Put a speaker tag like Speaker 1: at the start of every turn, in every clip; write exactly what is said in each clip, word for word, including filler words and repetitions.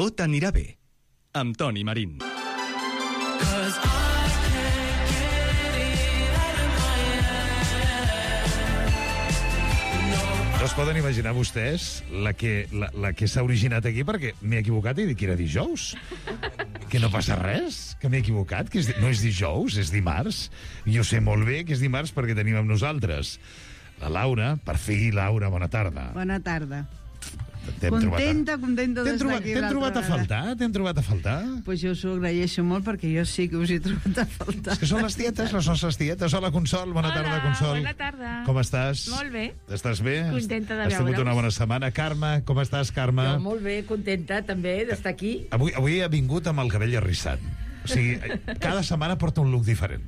Speaker 1: Tot anirà bé, amb Toni Marín.
Speaker 2: No es poden imaginar vostès la que, la, la que s'ha originat aquí, perquè m'he equivocat i dic que era dijous. Que no passa res, que m'he equivocat, que és, no és dijous, és dimarts. I ho sé molt bé que és dimarts perquè tenim amb nosaltres la Laura. Per fi, Laura, bona tarda.
Speaker 3: Bona tarda.
Speaker 2: Contenta,
Speaker 3: contenta d'estar aquí.
Speaker 2: T'hem trobat a faltar? T'hem trobat a faltar?
Speaker 3: Pues jo us ho agraeixo molt perquè jo sí que us he trobat a faltar.
Speaker 2: És que són les tietes, les nostres tietes. Hola, Consol, bona
Speaker 4: Hola,
Speaker 2: tarda, Consol.
Speaker 4: bona tarda.
Speaker 2: Com estàs?
Speaker 4: Molt bé.
Speaker 2: Estàs bé?
Speaker 4: Contenta de
Speaker 2: Has tingut
Speaker 4: veure'us.
Speaker 2: una bona setmana. Carme, com estàs, Carme?
Speaker 5: Jo molt bé, contenta també d'estar aquí.
Speaker 2: Avui, avui ha vingut amb el cabell arrissat. O sigui, cada setmana porta un look diferent.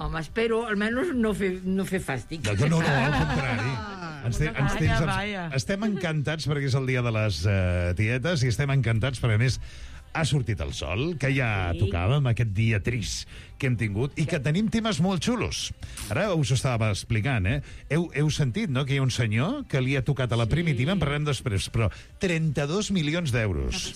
Speaker 5: Home, espero almenys no fer, no fer fàstic.
Speaker 2: No, no, no, al contrari. Ens te, ens tens,
Speaker 3: Vaya, vaya.
Speaker 2: estem encantats perquè és el dia de les uh, tietes i estem encantats perquè, a més, ha sortit el sol, que ja
Speaker 5: Sí.
Speaker 2: tocava amb aquest dia trist que hem tingut i que tenim temes molt xulos. Ara us ho estava explicant, eh? Heu, heu sentit, no?, que hi ha un senyor que li ha tocat a la primitiva, en parlarem després, però trenta-dos milions d'euros.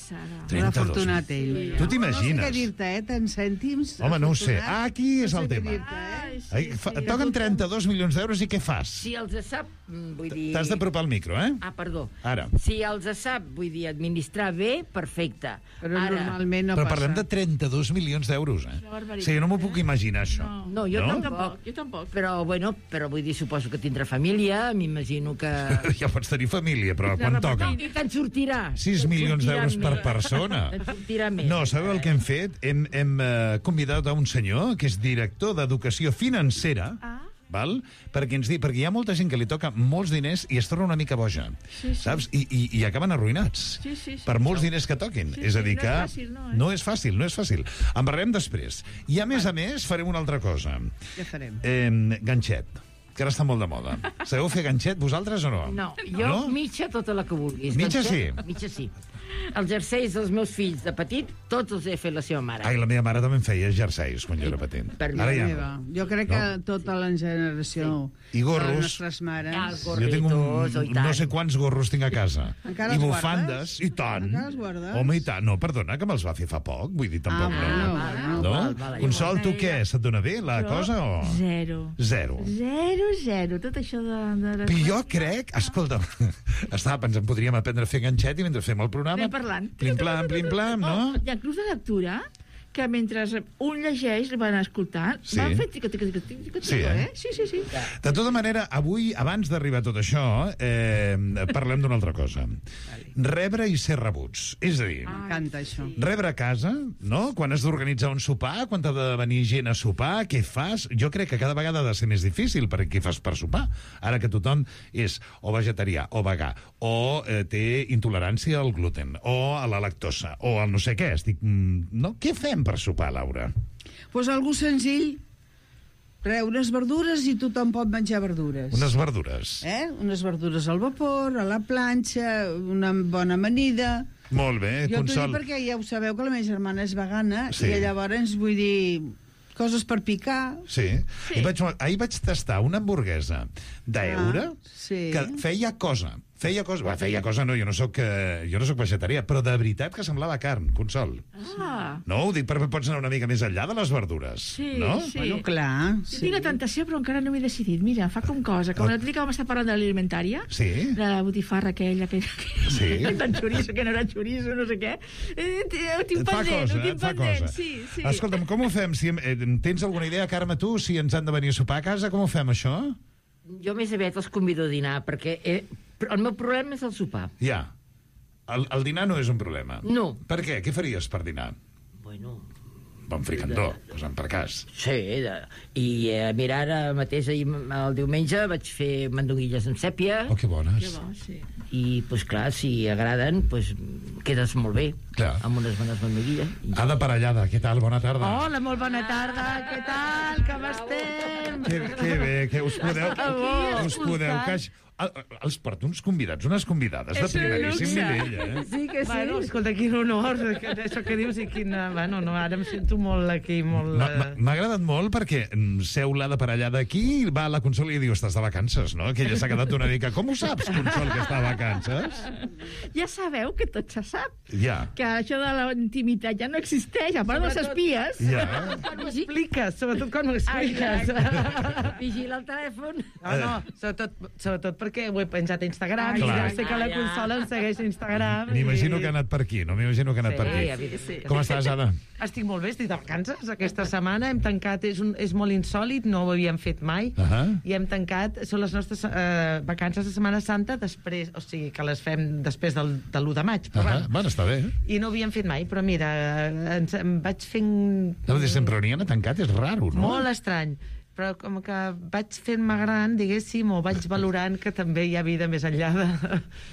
Speaker 3: L'afortunat ell.
Speaker 2: Tu t'imagines?
Speaker 3: No sé què dir-te, eh? Tant cèntims.
Speaker 2: Home, no ho sé.
Speaker 3: afortunat.
Speaker 2: Ah, aquí és
Speaker 3: No
Speaker 2: el
Speaker 3: sé què
Speaker 2: tema.
Speaker 3: dir-te, eh?
Speaker 2: Ai, fa, et toquen trenta-dos milions d'euros i què fas?
Speaker 5: Si els sap, mm, vull dir...
Speaker 2: T'has d'apropar al micro, eh?
Speaker 5: Ah, perdó.
Speaker 2: Ara.
Speaker 5: Si els sap, vull dir, administrar bé, perfecte.
Speaker 3: Però
Speaker 5: Ara,
Speaker 3: normalment no
Speaker 2: Però
Speaker 3: passa.
Speaker 2: parlem de trenta-dos milions d'euros, eh?
Speaker 4: barbaritat,
Speaker 2: O sigui, no m'ho puc imaginar, això.
Speaker 4: No.
Speaker 5: no, jo
Speaker 2: No?
Speaker 5: tampoc.
Speaker 4: Jo tampoc.
Speaker 5: Però, bueno, però vull dir, suposo que tindrà família, m'imagino que...
Speaker 2: Ja pots tenir família, però quan toca?
Speaker 5: I te'n sortirà.
Speaker 2: sis
Speaker 5: Te'n
Speaker 2: milions
Speaker 5: sortirà
Speaker 2: d'euros per
Speaker 5: més.
Speaker 2: persona.
Speaker 5: Te'n sortirà més.
Speaker 2: No, sabeu el que hem fet? Hem, hem eh, convidat a un senyor que és director d'Educació Financera,
Speaker 4: Ah.
Speaker 2: val? Perquè ens di, perquè hi ha molta gent que li toca molts diners i es torna una mica boja,
Speaker 4: Sí, sí.
Speaker 2: saps? I, i, i acaben arruïnats
Speaker 4: Sí, sí, sí.
Speaker 2: per molts diners que toquin.
Speaker 4: Sí,
Speaker 2: és a
Speaker 4: sí,
Speaker 2: dir
Speaker 4: no
Speaker 2: que
Speaker 4: és fàcil, no, eh?
Speaker 2: no és fàcil, no és fàcil. En parlarem després. I a més a més farem una altra cosa.
Speaker 3: Què farem?
Speaker 2: Eh, ganxet, que ara està molt de moda. Sabeu fer ganxet, vosaltres o no?
Speaker 5: No, jo
Speaker 2: No?
Speaker 5: mitja tota la que vulguis.
Speaker 2: Mitja
Speaker 5: Doncs,
Speaker 2: sí?
Speaker 5: Mitja sí. Els jerseis dels meus fills de petit, tots els he fet la seva mare.
Speaker 2: Ai, la meva mare també em feia jerseis quan jo era petit.
Speaker 5: Per mi,
Speaker 2: Ara ja
Speaker 3: Meva.
Speaker 2: no.
Speaker 3: Jo crec
Speaker 2: No?
Speaker 3: que tota la generació
Speaker 2: I gorros.
Speaker 3: de les nostres mares...
Speaker 5: Ah, els
Speaker 2: Jo tinc
Speaker 5: gorritos, oi
Speaker 2: un,
Speaker 5: tant.
Speaker 2: no sé quants gorros tinc a casa.
Speaker 3: Encara
Speaker 2: I
Speaker 3: els
Speaker 2: bufandes,
Speaker 3: guardes?
Speaker 2: i tant.
Speaker 3: Encara els guardes?
Speaker 2: Home, i tant. No, perdona, que me'ls va fer fa poc. Vull dir, tampoc
Speaker 3: Ah,
Speaker 2: no.
Speaker 3: bueno, bueno.
Speaker 2: No?
Speaker 5: val, val,
Speaker 2: Consol, tu
Speaker 4: igual.
Speaker 2: què? Se't dona bé la
Speaker 4: Jo,
Speaker 2: cosa o...?
Speaker 4: Zero.
Speaker 2: Zero.
Speaker 4: Zero, zero. Tot això de... de...
Speaker 2: I jo crec... Escolta, estava pensant, podríem aprendre a fer ganxet i mentre fem el programa...
Speaker 4: Anem parlant.
Speaker 2: Plim-plam, plim-plam, no?
Speaker 4: Oh, hi ha clubs de lectura que mentre un llegeix van escoltant,
Speaker 2: Sí.
Speaker 4: van fer tica, tica, tica, tica, tica,
Speaker 2: Sí, eh?
Speaker 4: eh? Sí, sí, sí.
Speaker 2: De tota manera, avui, abans d'arribar a tot això, eh, parlem d'una altra cosa. Rebre i ser rebuts. És a dir...
Speaker 3: M'encanta això.
Speaker 2: Rebre a casa, no? Quan has d'organitzar un sopar, quan t'ha de venir gent a sopar, què fas? Jo crec que cada vegada ha de ser més difícil, perquè què fas per sopar? Ara que tothom és o vegetarià, o vegà, o eh, té intolerància al gluten, o a la lactosa, o al no sé què. Estic, mm, no? Què fem per sopar, Laura?
Speaker 3: Doncs pues algú senzill. Re, unes verdures i tothom pot menjar verdures.
Speaker 2: Unes verdures.
Speaker 3: Eh? Unes verdures al vapor, a la planxa, una bona amanida...
Speaker 2: Molt bé,
Speaker 3: Jo t'ho dic
Speaker 2: Consol.
Speaker 3: perquè ja ho sabeu que la meva germana és vegana
Speaker 2: Sí.
Speaker 3: i llavors vull dir coses per picar.
Speaker 2: Sí. sí. I vaig, ahir vaig tastar una hamburguesa d'eure
Speaker 3: Ah, sí.
Speaker 2: que feia cosa. Feia cosa... Va, feia cosa no, jo no soc, eh, jo no soc vegetarià, però de veritat que semblava carn, Consol.
Speaker 4: Ah,
Speaker 2: No, ho dic perquè pots anar una mica més enllà de les verdures.
Speaker 4: Sí,
Speaker 2: no?
Speaker 4: sí.
Speaker 3: Bueno, clar.
Speaker 4: jo tinc la tentació, però encara no m'he decidit. Mira, fa com cosa. Com l'altre dia que vam estar parlant de l'alimentària,
Speaker 2: Sí.
Speaker 4: de la botifarra aquella, aquella, aquella
Speaker 2: Sí.
Speaker 4: tan xoriço, que no era xoriço, no sé què. Eh, ho tinc
Speaker 2: Et fa
Speaker 4: pendent,
Speaker 2: cosa,
Speaker 4: ho tinc
Speaker 2: et fa
Speaker 4: pendent.
Speaker 2: cosa.
Speaker 4: Sí, sí.
Speaker 2: Escolta'm, com ho fem? Si, eh, tens alguna idea, Carme, tu, si ens han de venir a sopar a casa, com ho fem, això?
Speaker 5: Jo més aviat els convido a dinar, perquè eh, el meu problema és el sopar.
Speaker 2: Ja. El, el dinar no és un problema.
Speaker 5: No.
Speaker 2: Per què? Què faries per dinar?
Speaker 5: Bueno,
Speaker 2: Bon fricandó, posant per cas.
Speaker 5: sí, de, i eh, mira, ara mateix ahir, el diumenge vaig fer mandonguilles amb sèpia,
Speaker 2: Oh, que bones.
Speaker 4: Que bo, sí.
Speaker 5: i, pues clar, si agraden, pues quedes molt bé,
Speaker 2: Clar.
Speaker 5: amb unes bones mandonguilles.
Speaker 2: Ada Parellada, què tal? Bona tarda.
Speaker 4: Hola, molt bona tarda, què tal, com estem?
Speaker 2: Que, que bé, que us podeu...
Speaker 4: Aquí,
Speaker 2: us podeu
Speaker 4: escoltant.
Speaker 2: queix... El- Els porto uns convidats, unes convidades de
Speaker 4: És un
Speaker 2: primeríssim
Speaker 4: luxe.
Speaker 2: nivell, eh?
Speaker 5: Sí que sí.
Speaker 6: Bueno, escolta, quin honor, que, això que dius i quina... Bueno, no, ara em sento molt aquí, molt...
Speaker 2: M'ha-
Speaker 6: eh,
Speaker 2: m'ha- M'ha agradat molt perquè mm, seu l'Ada Parellada aquí i va a la Consol i diu, estàs de vacances, no? Que ella s'ha quedat una mica... Com ho saps, Consol, que està de vacances?
Speaker 4: Ja sabeu que tot se sap.
Speaker 2: Ja.
Speaker 4: Que que això de la intimitat ja no existeix, a part dels espies.
Speaker 2: Ja.
Speaker 6: Quan ho expliques, sobretot quan ho expliques.
Speaker 5: Vigila el telèfon.
Speaker 6: No, no, sobretot, sobretot perquè ho he penjat a Instagram.
Speaker 2: Ai,
Speaker 6: I
Speaker 2: clar.
Speaker 6: ja sé que la
Speaker 5: Ja, ja.
Speaker 6: consola em segueix a Instagram.
Speaker 2: M'imagino
Speaker 6: i-
Speaker 2: que ha anat per aquí, no m'imagino que ha anat
Speaker 6: Sí,
Speaker 2: per aquí.
Speaker 5: evidentment.
Speaker 2: Com estàs, Ada?
Speaker 6: Estic molt bé, estic de vacances. Aquesta setmana hem tancat, és, un, és molt insòlid, no ho havíem fet mai,
Speaker 2: Ahà.
Speaker 6: i hem tancat, són les nostres eh, vacances de Setmana Santa, després, o sigui, que les fem després del, de l'u de maig. Però,
Speaker 2: Ahà.
Speaker 6: bueno,
Speaker 2: Bueno, està bé.
Speaker 6: I no ho havíem fet mai, però mira, ens, em vaig fent...
Speaker 2: No, de sempre on hi ha tancat és raro, no?
Speaker 6: Molt estrany. Però com que vaig fent-me gran, diguéssim, o vaig valorant que també hi ha vida més enllà de,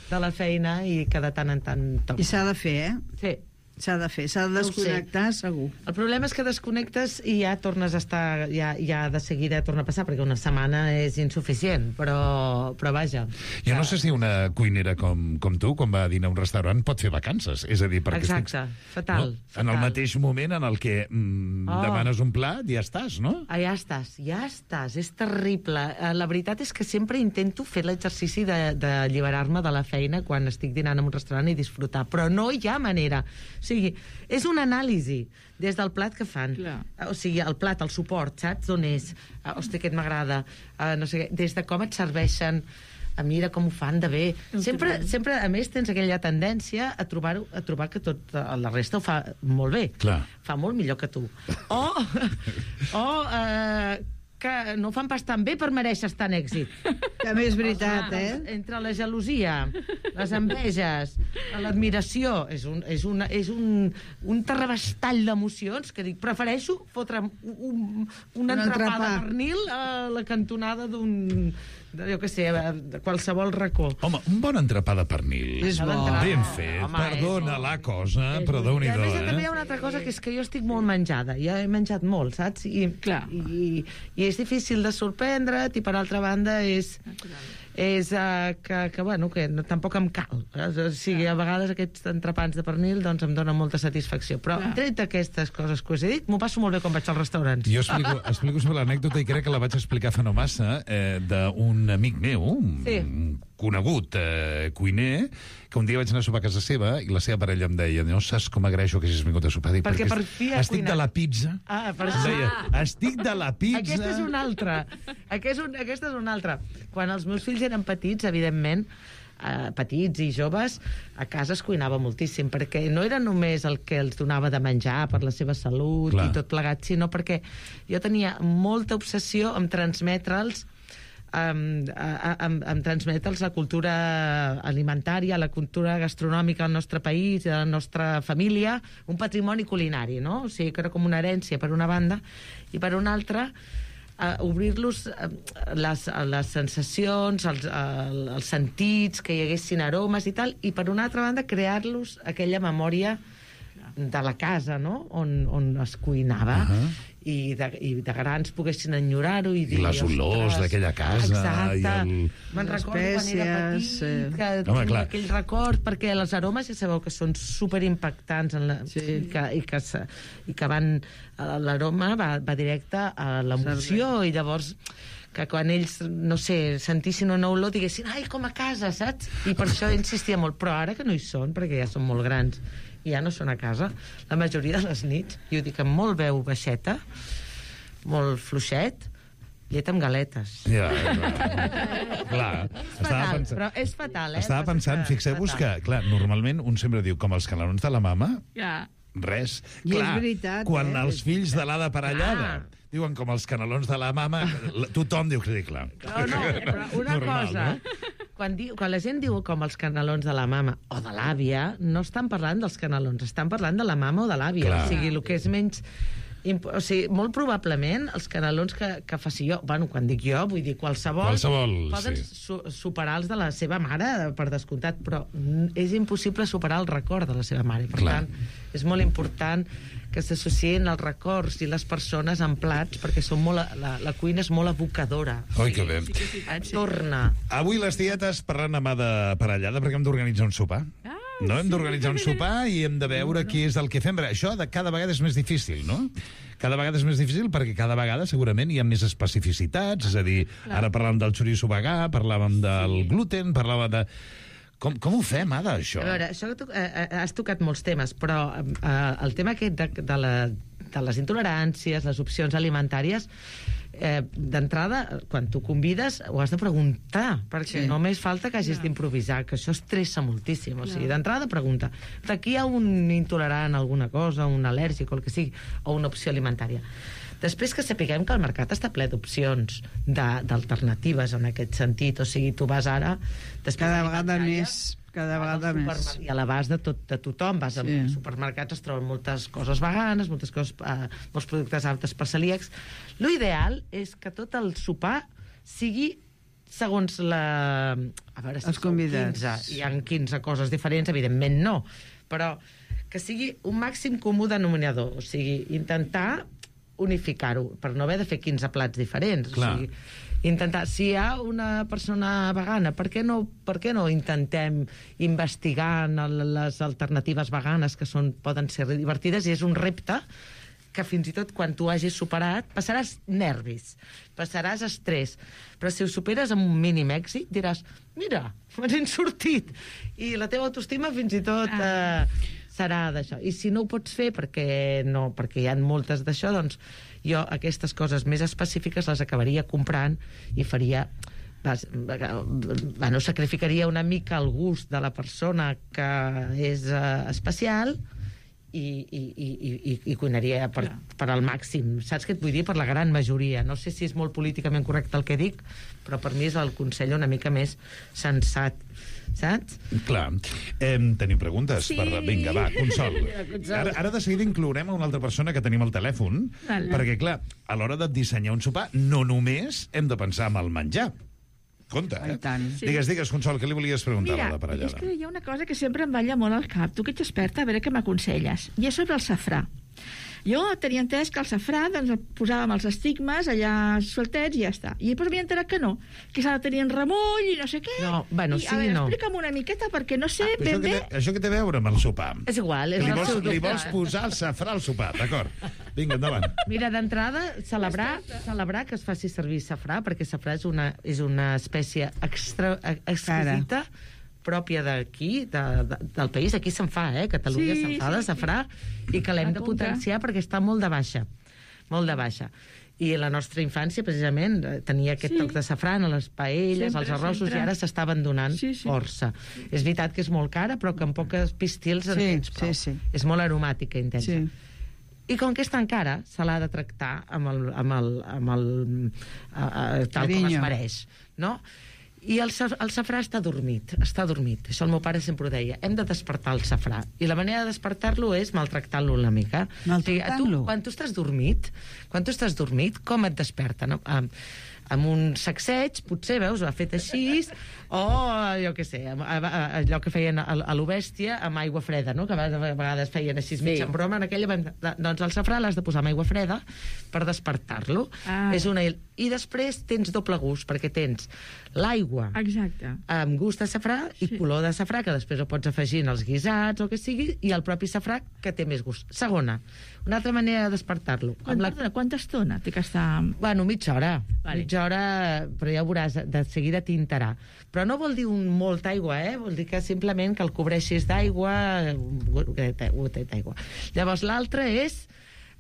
Speaker 6: de la feina i que de tant en tant toca.
Speaker 3: I s'ha de fer, eh?
Speaker 6: Sí.
Speaker 3: S'ha de fer, s'ha de
Speaker 6: ho sé.
Speaker 3: desconnectar, segur.
Speaker 6: El problema és que desconnectes i ja tornes a estar, ja, ja de seguida torna a passar, perquè una setmana és insuficient, però, però vaja.
Speaker 2: Jo no sé si una cuinera com, com tu, quan va a dinar a un restaurant, pot fer vacances. És a dir, perquè
Speaker 6: Exacte,
Speaker 2: estic,
Speaker 6: fatal,
Speaker 2: No?
Speaker 6: fatal.
Speaker 2: En el mateix moment en el que mm,
Speaker 6: Oh.
Speaker 2: demanes un plat, ja estàs, no?
Speaker 6: Ah, ja estàs, ja estàs, és terrible. Eh, La veritat és que sempre intento fer l'exercici de- d'alliberar-me de, de la feina quan estic dinant en un restaurant i disfrutar, però no hi ha manera. O sigui, és una anàlisi des del plat que fan.
Speaker 4: Clar.
Speaker 6: O sigui, el plat, el suport, saps d'on és? Uh, hosti, aquest m'agrada. Uh, no sé què, des de com et serveixen, a mira com ho fan de bé. Sempre, sempre, a més, tens aquella tendència a trobar, a trobar que tot eh, la resta ho fa molt bé.
Speaker 2: Clar.
Speaker 6: Fa molt millor que tu. O, o eh, que no ho fan pas tan bé per mereixer tan èxit.
Speaker 3: També és veritat, eh?
Speaker 6: Entre la gelosia, les enveges, l'admiració, és un, és una, és un, un terrabastall d'emocions que dic, prefereixo fotre un, un, un
Speaker 3: Un
Speaker 6: entrepà de
Speaker 3: entrepà.
Speaker 6: pernil a la cantonada d'un, de, jo què sé, de qualsevol racó.
Speaker 2: Home, un bon entrepà de pernil.
Speaker 3: És bo.
Speaker 2: Ben fet,
Speaker 6: Home,
Speaker 2: perdona
Speaker 6: és-
Speaker 2: la cosa,
Speaker 6: És
Speaker 2: però
Speaker 6: molt- I a
Speaker 2: déu-n'hi-do,
Speaker 6: més, també hi
Speaker 2: eh?
Speaker 6: ha una altra cosa, que és que jo estic molt menjada. Ja he menjat molt, saps? I,
Speaker 4: Clar.
Speaker 6: i, i és difícil de sorprendre't, i per altra banda és, és uh, que, que, bueno, que no, tampoc em cal. O sigui, a vegades aquests entrepans de pernil doncs em donen molta satisfacció. Però
Speaker 4: Clar.
Speaker 6: tret d'aquestes coses que us he dit, m'ho passo molt bé quan vaig als restaurants.
Speaker 2: Jo explico, explico sobre l'anècdota i crec que la vaig explicar fa no massa eh, d'un amic meu, un
Speaker 6: Sí.
Speaker 2: conegut eh, cuiner, que un dia vaig anar a sopar a casa seva i la seva parella em deia, no saps com agraeixo que hagis vingut a sopar. Dic,
Speaker 6: Perquè per
Speaker 2: est-
Speaker 6: fi ha
Speaker 2: estic
Speaker 6: cuinat."
Speaker 2: de la pizza.
Speaker 6: Ah, per
Speaker 2: Em
Speaker 6: això.
Speaker 2: deia, estic de la pizza.
Speaker 6: Aquesta és una altra. Aquest és un, aquesta és una altra. Quan els meus fills eren petits, evidentment, eh, petits i joves, a casa es cuinava moltíssim, perquè no era només el que els donava de menjar per la seva salut
Speaker 2: Clar.
Speaker 6: i tot plegat, sinó perquè jo tenia molta obsessió en transmetre'ls Um, a, a, a, a transmetre'ls la cultura alimentària, la cultura gastronòmica del nostre país, de la nostra família, un patrimoni culinari, no? O sigui, que era com una herència per una banda, i per una altra uh, obrir-los uh, les, les sensacions, els, uh, els sentits, que hi haguessin aromes i tal, i per una altra banda crear-los aquella memòria de la casa, no?, on, on es cuinava,
Speaker 2: Ahà.
Speaker 6: i, de, i de grans poguessin enyorar-ho i dir,
Speaker 2: les olors
Speaker 6: "Ostres,
Speaker 2: d'aquella casa
Speaker 6: exacte.
Speaker 2: i el-
Speaker 6: Me'n
Speaker 3: Les
Speaker 6: recordo quan era
Speaker 3: espècies,
Speaker 6: petit,
Speaker 3: eh.
Speaker 6: que
Speaker 2: Home,
Speaker 6: tinc
Speaker 2: clar.
Speaker 6: aquell record, perquè els aromes ja sabeu que són superimpactants en la,
Speaker 3: Sí.
Speaker 6: i, que, i, que, se- i que van, eh, l'aroma va, va directe a l'emoció, i llavors que quan ells, no sé, sentissin una olor diguessin, ai, com a casa, saps? I per això insistia molt, però ara que no hi són, perquè ja són molt grans i ja no són a casa, la majoria de les nits, i ho dic amb molt veu baixeta, molt fluixet, llet amb galetes.
Speaker 2: Ja, clar. clar. Estava
Speaker 6: Fatal,
Speaker 2: pensant,
Speaker 6: però és fatal, eh?
Speaker 2: estava
Speaker 6: Passa
Speaker 2: pensant,
Speaker 6: que-
Speaker 2: fixeu-vos que,
Speaker 6: fatal.
Speaker 2: clar, normalment un sempre diu, com els canelons de la mama,
Speaker 4: Ja.
Speaker 2: res.
Speaker 3: I és
Speaker 2: Clar,
Speaker 3: veritat,
Speaker 2: quan
Speaker 3: eh?
Speaker 2: els fills de l'Ada Parellada
Speaker 6: Clar.
Speaker 2: diuen com els canelons de la mama, la- tothom diu que sí, clar.
Speaker 6: No, no, però una
Speaker 2: Normal,
Speaker 6: cosa,
Speaker 2: no?
Speaker 6: quan, diu, quan la gent diu com els canelons de la mama o de l'àvia, no estan parlant dels canelons, estan parlant de la mama o de l'àvia.
Speaker 2: Clar.
Speaker 6: O sigui, el que és menys... imp- O sigui, molt probablement els canelons que, que faci jo, bueno, quan dic jo, vull dir qualsevol,
Speaker 2: Qualsevol,
Speaker 6: poden
Speaker 2: sí.
Speaker 6: su superar els de la seva mare, per descomptat, però mm, és impossible superar el record de la seva mare. Per
Speaker 2: Clar.
Speaker 6: tant, és molt important que s'associen els records i les persones en plats, perquè són molt, la, la cuina és molt evocadora.
Speaker 2: Oi, que bé.
Speaker 6: Et torna.
Speaker 2: Avui les tietes parlant amb Ada Parellada perquè hem d'organitzar un sopar.
Speaker 4: Ah,
Speaker 2: No, hem d'organitzar un sopar i hem de veure què és el que fem. Això de cada vegada és més difícil, no? Cada vegada és més difícil perquè cada vegada segurament hi ha més especificitats, és a dir, ara parlàvem del xoriço vegà, parlàvem del gluten, parlàvem de... Com, com ho fem, Ada, això?
Speaker 6: A veure, això que tu, eh, has tocat molts temes, però eh, el tema aquest de, de, la, de les intoleràncies, les opcions alimentàries, eh, d'entrada, quan tu convides, ho has de preguntar, perquè
Speaker 3: Sí.
Speaker 6: només falta que hagis
Speaker 4: Clar.
Speaker 6: d'improvisar, que això estressa moltíssim. O sigui, d'entrada, pregunta. Aquí hi ha un intolerant a alguna cosa, un al·lèrgic o el que sigui, o una opció alimentària. Després que sapiguem que el mercat està ple d'opcions, de- d'alternatives en aquest sentit. O sigui, tu vas ara... després
Speaker 3: Cada vegada
Speaker 6: alimentària,
Speaker 3: més, cada
Speaker 6: vas al
Speaker 3: vegada més.
Speaker 6: supermer- I a l'abast de, tot, de tothom. Vas
Speaker 3: Sí.
Speaker 6: als supermercats, es troben moltes coses veganes, moltes coses, eh, molts productes aptes per celíacs. Lo ideal és que tot el sopar sigui segons la... A veure, si
Speaker 3: Els
Speaker 6: sou
Speaker 3: convidats.
Speaker 6: quinze, hi ha quinze coses diferents, evidentment no, però que sigui un màxim comú denominador, o sigui, intentar unificar-ho, per no haver de fer quinze plats diferents.
Speaker 2: Clar.
Speaker 6: O sigui, intentar, si hi ha una persona vegana, per què no, per què no intentem investigar en el, les alternatives veganes que són, poden ser divertides, i és un repte que fins i tot quan tu hagis superat passaràs nervis, passaràs estrès, però si ho superes amb un mínim èxit diràs, mira, m'han sortit, i la teva autoestima fins i tot
Speaker 4: Ah.
Speaker 6: eh, serà d'això. I si no ho pots fer perquè no, perquè hi ha moltes d'això, doncs jo aquestes coses més específiques les acabaria comprant i faria... Vas, bueno, sacrificaria una mica el gust de la persona que és uh, especial i, i, i, i, i cuinaria per, per al màxim. Saps què et vull dir? Per la gran majoria. No sé si és molt políticament correcte el que dic, però per mi és el consell una mica més sensat. Saps?
Speaker 2: Clar. Eh, tenim preguntes?
Speaker 4: Sí.
Speaker 2: Per... Vinga, va, Consol.
Speaker 6: Consol.
Speaker 2: Ara, ara de seguida inclourem a una altra persona que tenim al telèfon,
Speaker 4: Vale.
Speaker 2: perquè, clar, a l'hora de dissenyar un sopar, no només hem de pensar en el menjar. Compte, eh?
Speaker 3: I tant.
Speaker 4: Sí.
Speaker 2: Digues, digues, Consol, què li volies preguntar
Speaker 4: Mira,
Speaker 2: a la
Speaker 4: és
Speaker 2: parellada?
Speaker 4: que hi ha una cosa que sempre em balla molt al cap. Tu que ets experta, a veure què m'aconselles. I és sobre el safrà. Jo tenia entès que el safrà doncs, el posàvem els estigmes allà sueltets i ja està. I després m'he enterat que no, que s'ha de tenir en remull i no sé què.
Speaker 6: No, bueno,
Speaker 4: I,
Speaker 6: sí
Speaker 4: a veure,
Speaker 6: no.
Speaker 4: explica'm una miqueta, perquè no sé
Speaker 2: Però
Speaker 4: ben
Speaker 2: això, que
Speaker 4: bé...
Speaker 2: té, això que té a veure amb el sopar?
Speaker 6: És igual, és
Speaker 2: Li
Speaker 6: el
Speaker 2: vols,
Speaker 6: seu
Speaker 2: li
Speaker 6: dubte.
Speaker 2: vols posar el safrà al sopar, d'acord. Vinga, endavant.
Speaker 6: Mira, d'entrada, celebrar, celebrar que es faci servir safrà, perquè safrà és una, és una espècie extra, exquisita, pròpia d'aquí, de, de, del país. Aquí se'n fa, eh? Catalunya
Speaker 4: Sí,
Speaker 6: se'n fa
Speaker 4: sí,
Speaker 6: de
Speaker 4: sí.
Speaker 6: safrà i que l'hem de
Speaker 4: Apunta.
Speaker 6: potenciar perquè està molt de baixa. Molt de baixa. I la nostra infància, precisament, eh, tenia aquest
Speaker 4: Sí.
Speaker 6: toc de safrà en les paelles,
Speaker 4: Sempre,
Speaker 6: als arrossos,
Speaker 4: sempre.
Speaker 6: i ara s'està abandonant
Speaker 4: Sí, sí.
Speaker 6: força. És veritat que és molt cara, però que amb poques pistils en
Speaker 3: Sí,
Speaker 6: tens prou.
Speaker 3: sí, sí.
Speaker 6: És molt aromàtica, intensa.
Speaker 3: Sí.
Speaker 6: I com que és tan cara, se l'ha de tractar amb el, amb el, amb el, a, a, tal com es
Speaker 3: Carinyo.
Speaker 6: mereix, no? I el, sa- el safrà està dormit, està dormit. Això el meu pare sempre ho deia. Hem de despertar el safrà. I la manera de despertar-lo és maltractant-lo una mica.
Speaker 3: Maltractant-lo?
Speaker 6: Tu, quan tu estàs dormit, quan tu estàs dormit, com et desperta? No? Amb, amb un sacseig, potser, veus, ho ha fet així, o, jo què sé, amb- a- a- allò que feien a, a l'Obèstia amb aigua freda, no? Que a vegades feien així sí. mig en broma, en aquella... vam- Doncs el safrà l'has de posar amb aigua freda per despertar-lo.
Speaker 4: Ah.
Speaker 6: És una... I després tens doble gust, perquè tens l'aigua
Speaker 4: Exacte.
Speaker 6: amb gust de safrà i
Speaker 4: Sí.
Speaker 6: color de safrà, que després ho pots afegir en els guisats o el que sigui, i el propi safrà, que té més gust. Segona, una altra manera de despertar-lo.
Speaker 4: Quan,
Speaker 6: Amb la...
Speaker 4: perdona, quanta estona té que estar...
Speaker 6: Bueno, mitja hora.
Speaker 4: Vale.
Speaker 6: Mitja hora, però ja ho veuràs, de seguida tintarà. Però no vol dir un molta aigua, eh? Vol dir que simplement que el cobreixis d'aigua, un gotet un gotet d'aigua. Llavors, l'altre és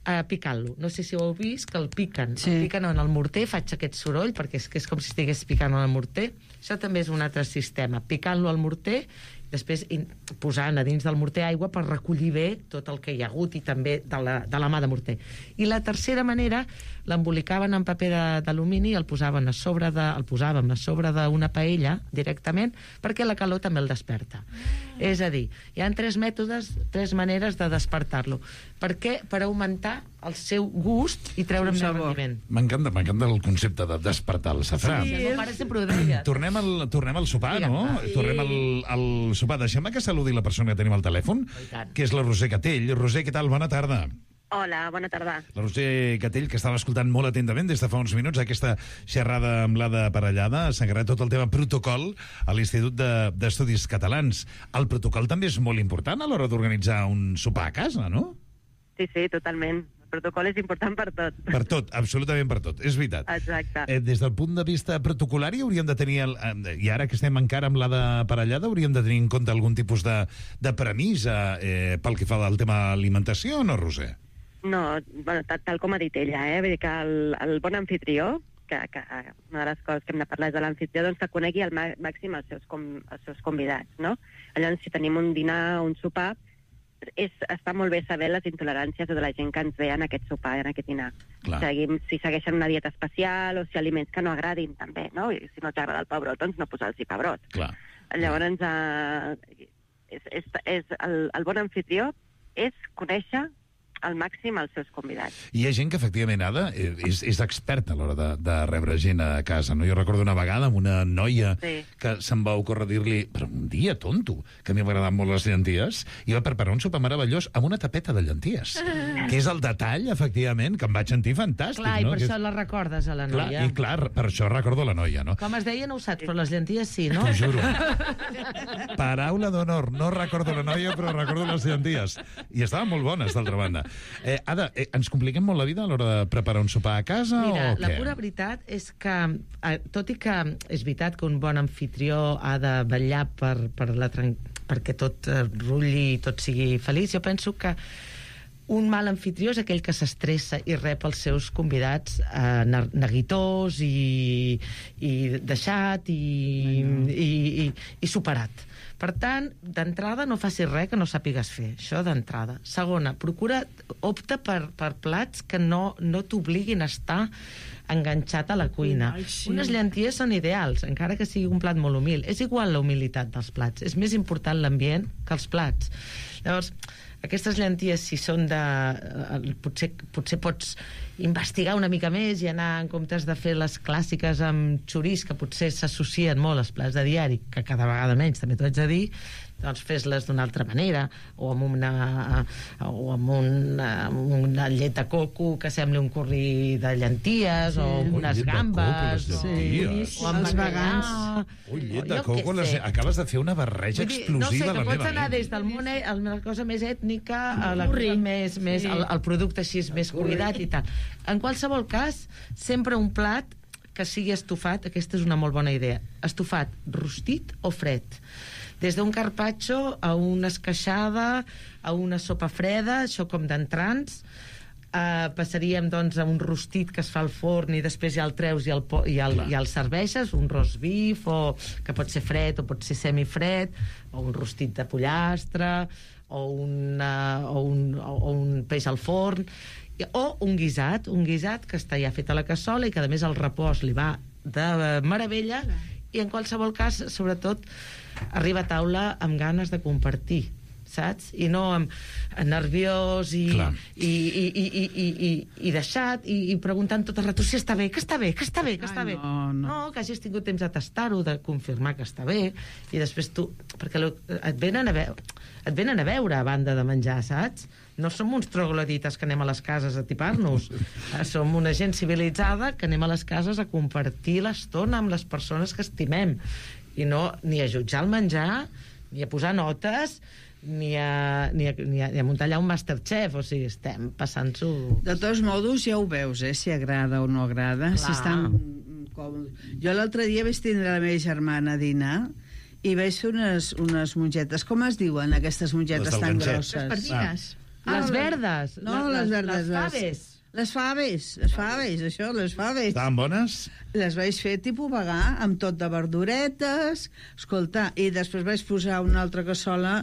Speaker 6: uh, picant-lo. No sé si ho heu vist, que el piquen.
Speaker 3: Sí.
Speaker 6: El piquen en el morter, faig aquest soroll, perquè és, que és com si estigués picant en el morter. Això també és un altre sistema. Picant-lo al morter, després in, posant a dins del morter aigua per recollir bé tot el que hi ha hagut i també de la, de la mà de morter. I la tercera manera, l'embolicaven en paper de- d'alumini i el posaven a sobre de, el posàvem a sobre d'una paella directament, perquè la calor també el desperta. És a dir, hi ha tres mètodes, tres maneres de despertar-lo. Per què? Per augmentar el seu gust i treure'n més
Speaker 3: Sabor.
Speaker 6: rendiment.
Speaker 2: M'encanta, m'encanta el concepte de despertar el safrà.
Speaker 6: Sí, el meu pare sempre ho deia.
Speaker 2: Tornem al, tornem al sopar,
Speaker 6: Digue'm,
Speaker 2: no?
Speaker 6: va.
Speaker 2: Tornem al, al sopar. Deixem que saludi la persona que tenim al telèfon,
Speaker 6: I tant.
Speaker 2: que és la Roser Catell. Roser, què tal? Bona tarda.
Speaker 7: Hola, bona tarda.
Speaker 2: La Roser Catell, que estava escoltant molt atentament des de fa uns minuts aquesta xerrada amb l'Ada Parellada, s'ha encarregat tot el tema protocol a l'Institut de- d'Estudis Catalans. El protocol també és molt important a l'hora d'organitzar un sopar a casa, no?
Speaker 7: Sí, sí, totalment. protocol és important per tot.
Speaker 2: Per tot, absolutament per tot, és veritat.
Speaker 7: Exacte.
Speaker 2: Eh, des del punt de vista protocolari hauríem de tenir, el, eh, i ara que estem encara amb la de parellada, hauríem de tenir en compte algun tipus de, de premissa eh, pel que fa al tema alimentació o no, Roser?
Speaker 7: No, bueno, tal, tal com ha dit ella, eh? Vull dir que el, el bon anfitrió, que, que una de les coses que hem de parlar és de l'anfitrió, doncs que conegui al màxim els seus, com, els seus convidats, no? Llavors, si tenim un dinar o un sopar, és, està molt bé saber les intoleràncies de la gent que ens ve en aquest sopar, en aquest dinar. Seguim, si segueixen una dieta especial o si aliments que no agradin, també, no? I si no t'agrada el pebrot, doncs no posar-los pebrot.
Speaker 2: Clar.
Speaker 7: Llavors, eh, és, és, és el, el bon anfitrió és conèixer al màxim els seus convidats.
Speaker 2: Hi ha gent que, efectivament, Ada, és, és experta a l'hora de, de rebre gent a casa, no? Jo recordo una vegada amb una noia sí. que se'm va ocórrer dir-li, però un dia, tonto, que a mi m'agradaven molt les llenties, i va preparar un sopar meravellós amb una tapeta de llenties, ah. que és el detall, efectivament, que em vaig sentir fantàstic.
Speaker 6: Clar, i
Speaker 2: no?
Speaker 6: per
Speaker 2: que
Speaker 6: això
Speaker 2: és...
Speaker 6: la recordes, a la noia.
Speaker 2: Clar, i clar, per això recordo la noia, no?
Speaker 6: Com es deia, no ho saps, però les llenties sí, no?
Speaker 2: T'ho juro. Paraula d'honor, no recordo la noia, però recordo les llenties. I estaven molt bones, d'altra banda. Eh, Ada, eh, ens compliquem molt la vida a l'hora de preparar un sopar a casa?
Speaker 6: Mira,
Speaker 2: o què?
Speaker 6: La pura veritat és que, eh, tot i que és veritat que un bon anfitrió ha de vetllar per, per la tran... perquè tot eh, rulli i tot sigui feliç, jo penso que un mal anfitrió és aquell que s'estressa i rep els seus convidats eh, neguitós i, i deixat i, i, i, i superat. Per tant, d'entrada no facis res que no sàpigues fer, això d'entrada. Segona, procura, opta per, per plats que no, no t'obliguin a estar enganxat a la cuina. Ai, sí. Unes llenties són ideals, encara que sigui un plat molt humil. És igual la humilitat dels plats, és més important l'ambient que els plats. Llavors, aquestes llenties, si són de... Eh, potser, potser pots investigar una mica més i anar, en comptes de fer les clàssiques amb xoriç, que potser s'associen molt als plats de diari, que cada vegada menys, també t'ho haig de dir, doncs fes-les d'una altra manera, o amb una, o amb una, amb una llet de coco que sembli un curri de llenties, sí. o amb unes gambes,
Speaker 2: coco, sí.
Speaker 6: o amb
Speaker 3: els vegans.
Speaker 2: Ui, llet de coco, les... acabes de fer una barreja dir, explosiva.
Speaker 6: No sé, que
Speaker 2: la
Speaker 6: pots
Speaker 2: meva
Speaker 6: anar
Speaker 2: ment.
Speaker 6: des del món, a la cosa més ètnica, a la cosa més, més, el, el producte així més cuidat i tal. En qualsevol cas, sempre un plat que sigui estofat, aquesta és una molt bona idea, estofat rostit o fred. Des d'un carpaccio a una esqueixada, a una sopa freda, això com d'entrants, eh, passaríem doncs a un rostit que es fa al forn i després ja el treus i el, i el, i el serveixes, un roast beef, o, que pot ser fred o pot ser semifred, o un rostit de pollastre, o, una, o, un, o un peix al forn, o un guisat, un guisat que està ja fet a la cassola i que a més el repòs li va de meravella, i en qualsevol cas, sobretot, arriba a taula amb ganes de compartir, saps? I no amb nerviós i, i, i, i, i, i, i, i deixat i, i preguntant tot el rato si està bé, que està bé, que està bé, que està
Speaker 3: Ai,
Speaker 6: bé.
Speaker 3: no, no.
Speaker 6: No, que hagis tingut temps de tastar-ho, de confirmar que està bé, i després tu... Perquè lo, et venen a veure, et venen a veure a banda de menjar, saps? No som uns troglodites que anem a les cases a tipar-nos. Som una gent civilitzada que anem a les cases a compartir l'estona amb les persones que estimem. I no ni a jutjar el menjar, ni a posar notes, ni a, ni a, ni a, ni a muntar allà un Masterchef. O sigui, estem passant-s'ho...
Speaker 3: De tots modos, ja ho veus, eh? Si agrada o no agrada.
Speaker 6: Clar.
Speaker 3: Si estan còmodes. Jo l'altre dia vaig tindre la meva germana a dinar i vaig fer unes, unes mongetes. Com es diuen, aquestes mongetes tan grosses?
Speaker 4: Les pardines.
Speaker 3: Ah,
Speaker 6: les verdes.
Speaker 3: No, les, les verdes.
Speaker 6: Les faves.
Speaker 3: Les faves, les faves, això, les faves.
Speaker 2: Estaven bones?
Speaker 3: Les vaig fer tipus vegà, amb tot de verduretes, escolta, i després vaig posar una altra cassola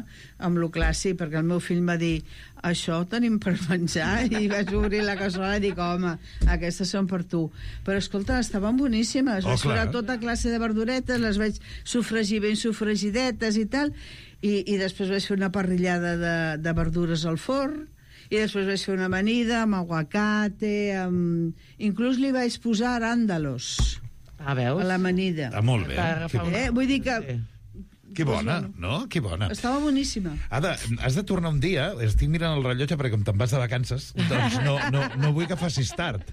Speaker 3: amb lo clàssic, perquè el meu fill va dir, això tenim per menjar, i vaig obrir la cassola i dic, home, aquestes són per tu. Però, escolta, estaven boníssimes,
Speaker 2: oh,
Speaker 3: vaig posar tota classe de verduretes, les vaig sofregir ben sofregidetes i tal, i, i després vaig fer una parrillada de, de verdures al forn, i després vaig fer una amanida amb aguacate, amb... inclús li vaig posar aràndalos
Speaker 6: ah, veus?
Speaker 3: a l'amanida.
Speaker 2: Ah, molt bé.
Speaker 3: Eh? Vull dir que
Speaker 2: Que bona, no? Que bona.
Speaker 3: Estava boníssima.
Speaker 2: Ada, has de tornar un dia, estic mirant el rellotge perquè com te'n vas de vacances, doncs no, no, no vull que facis tard.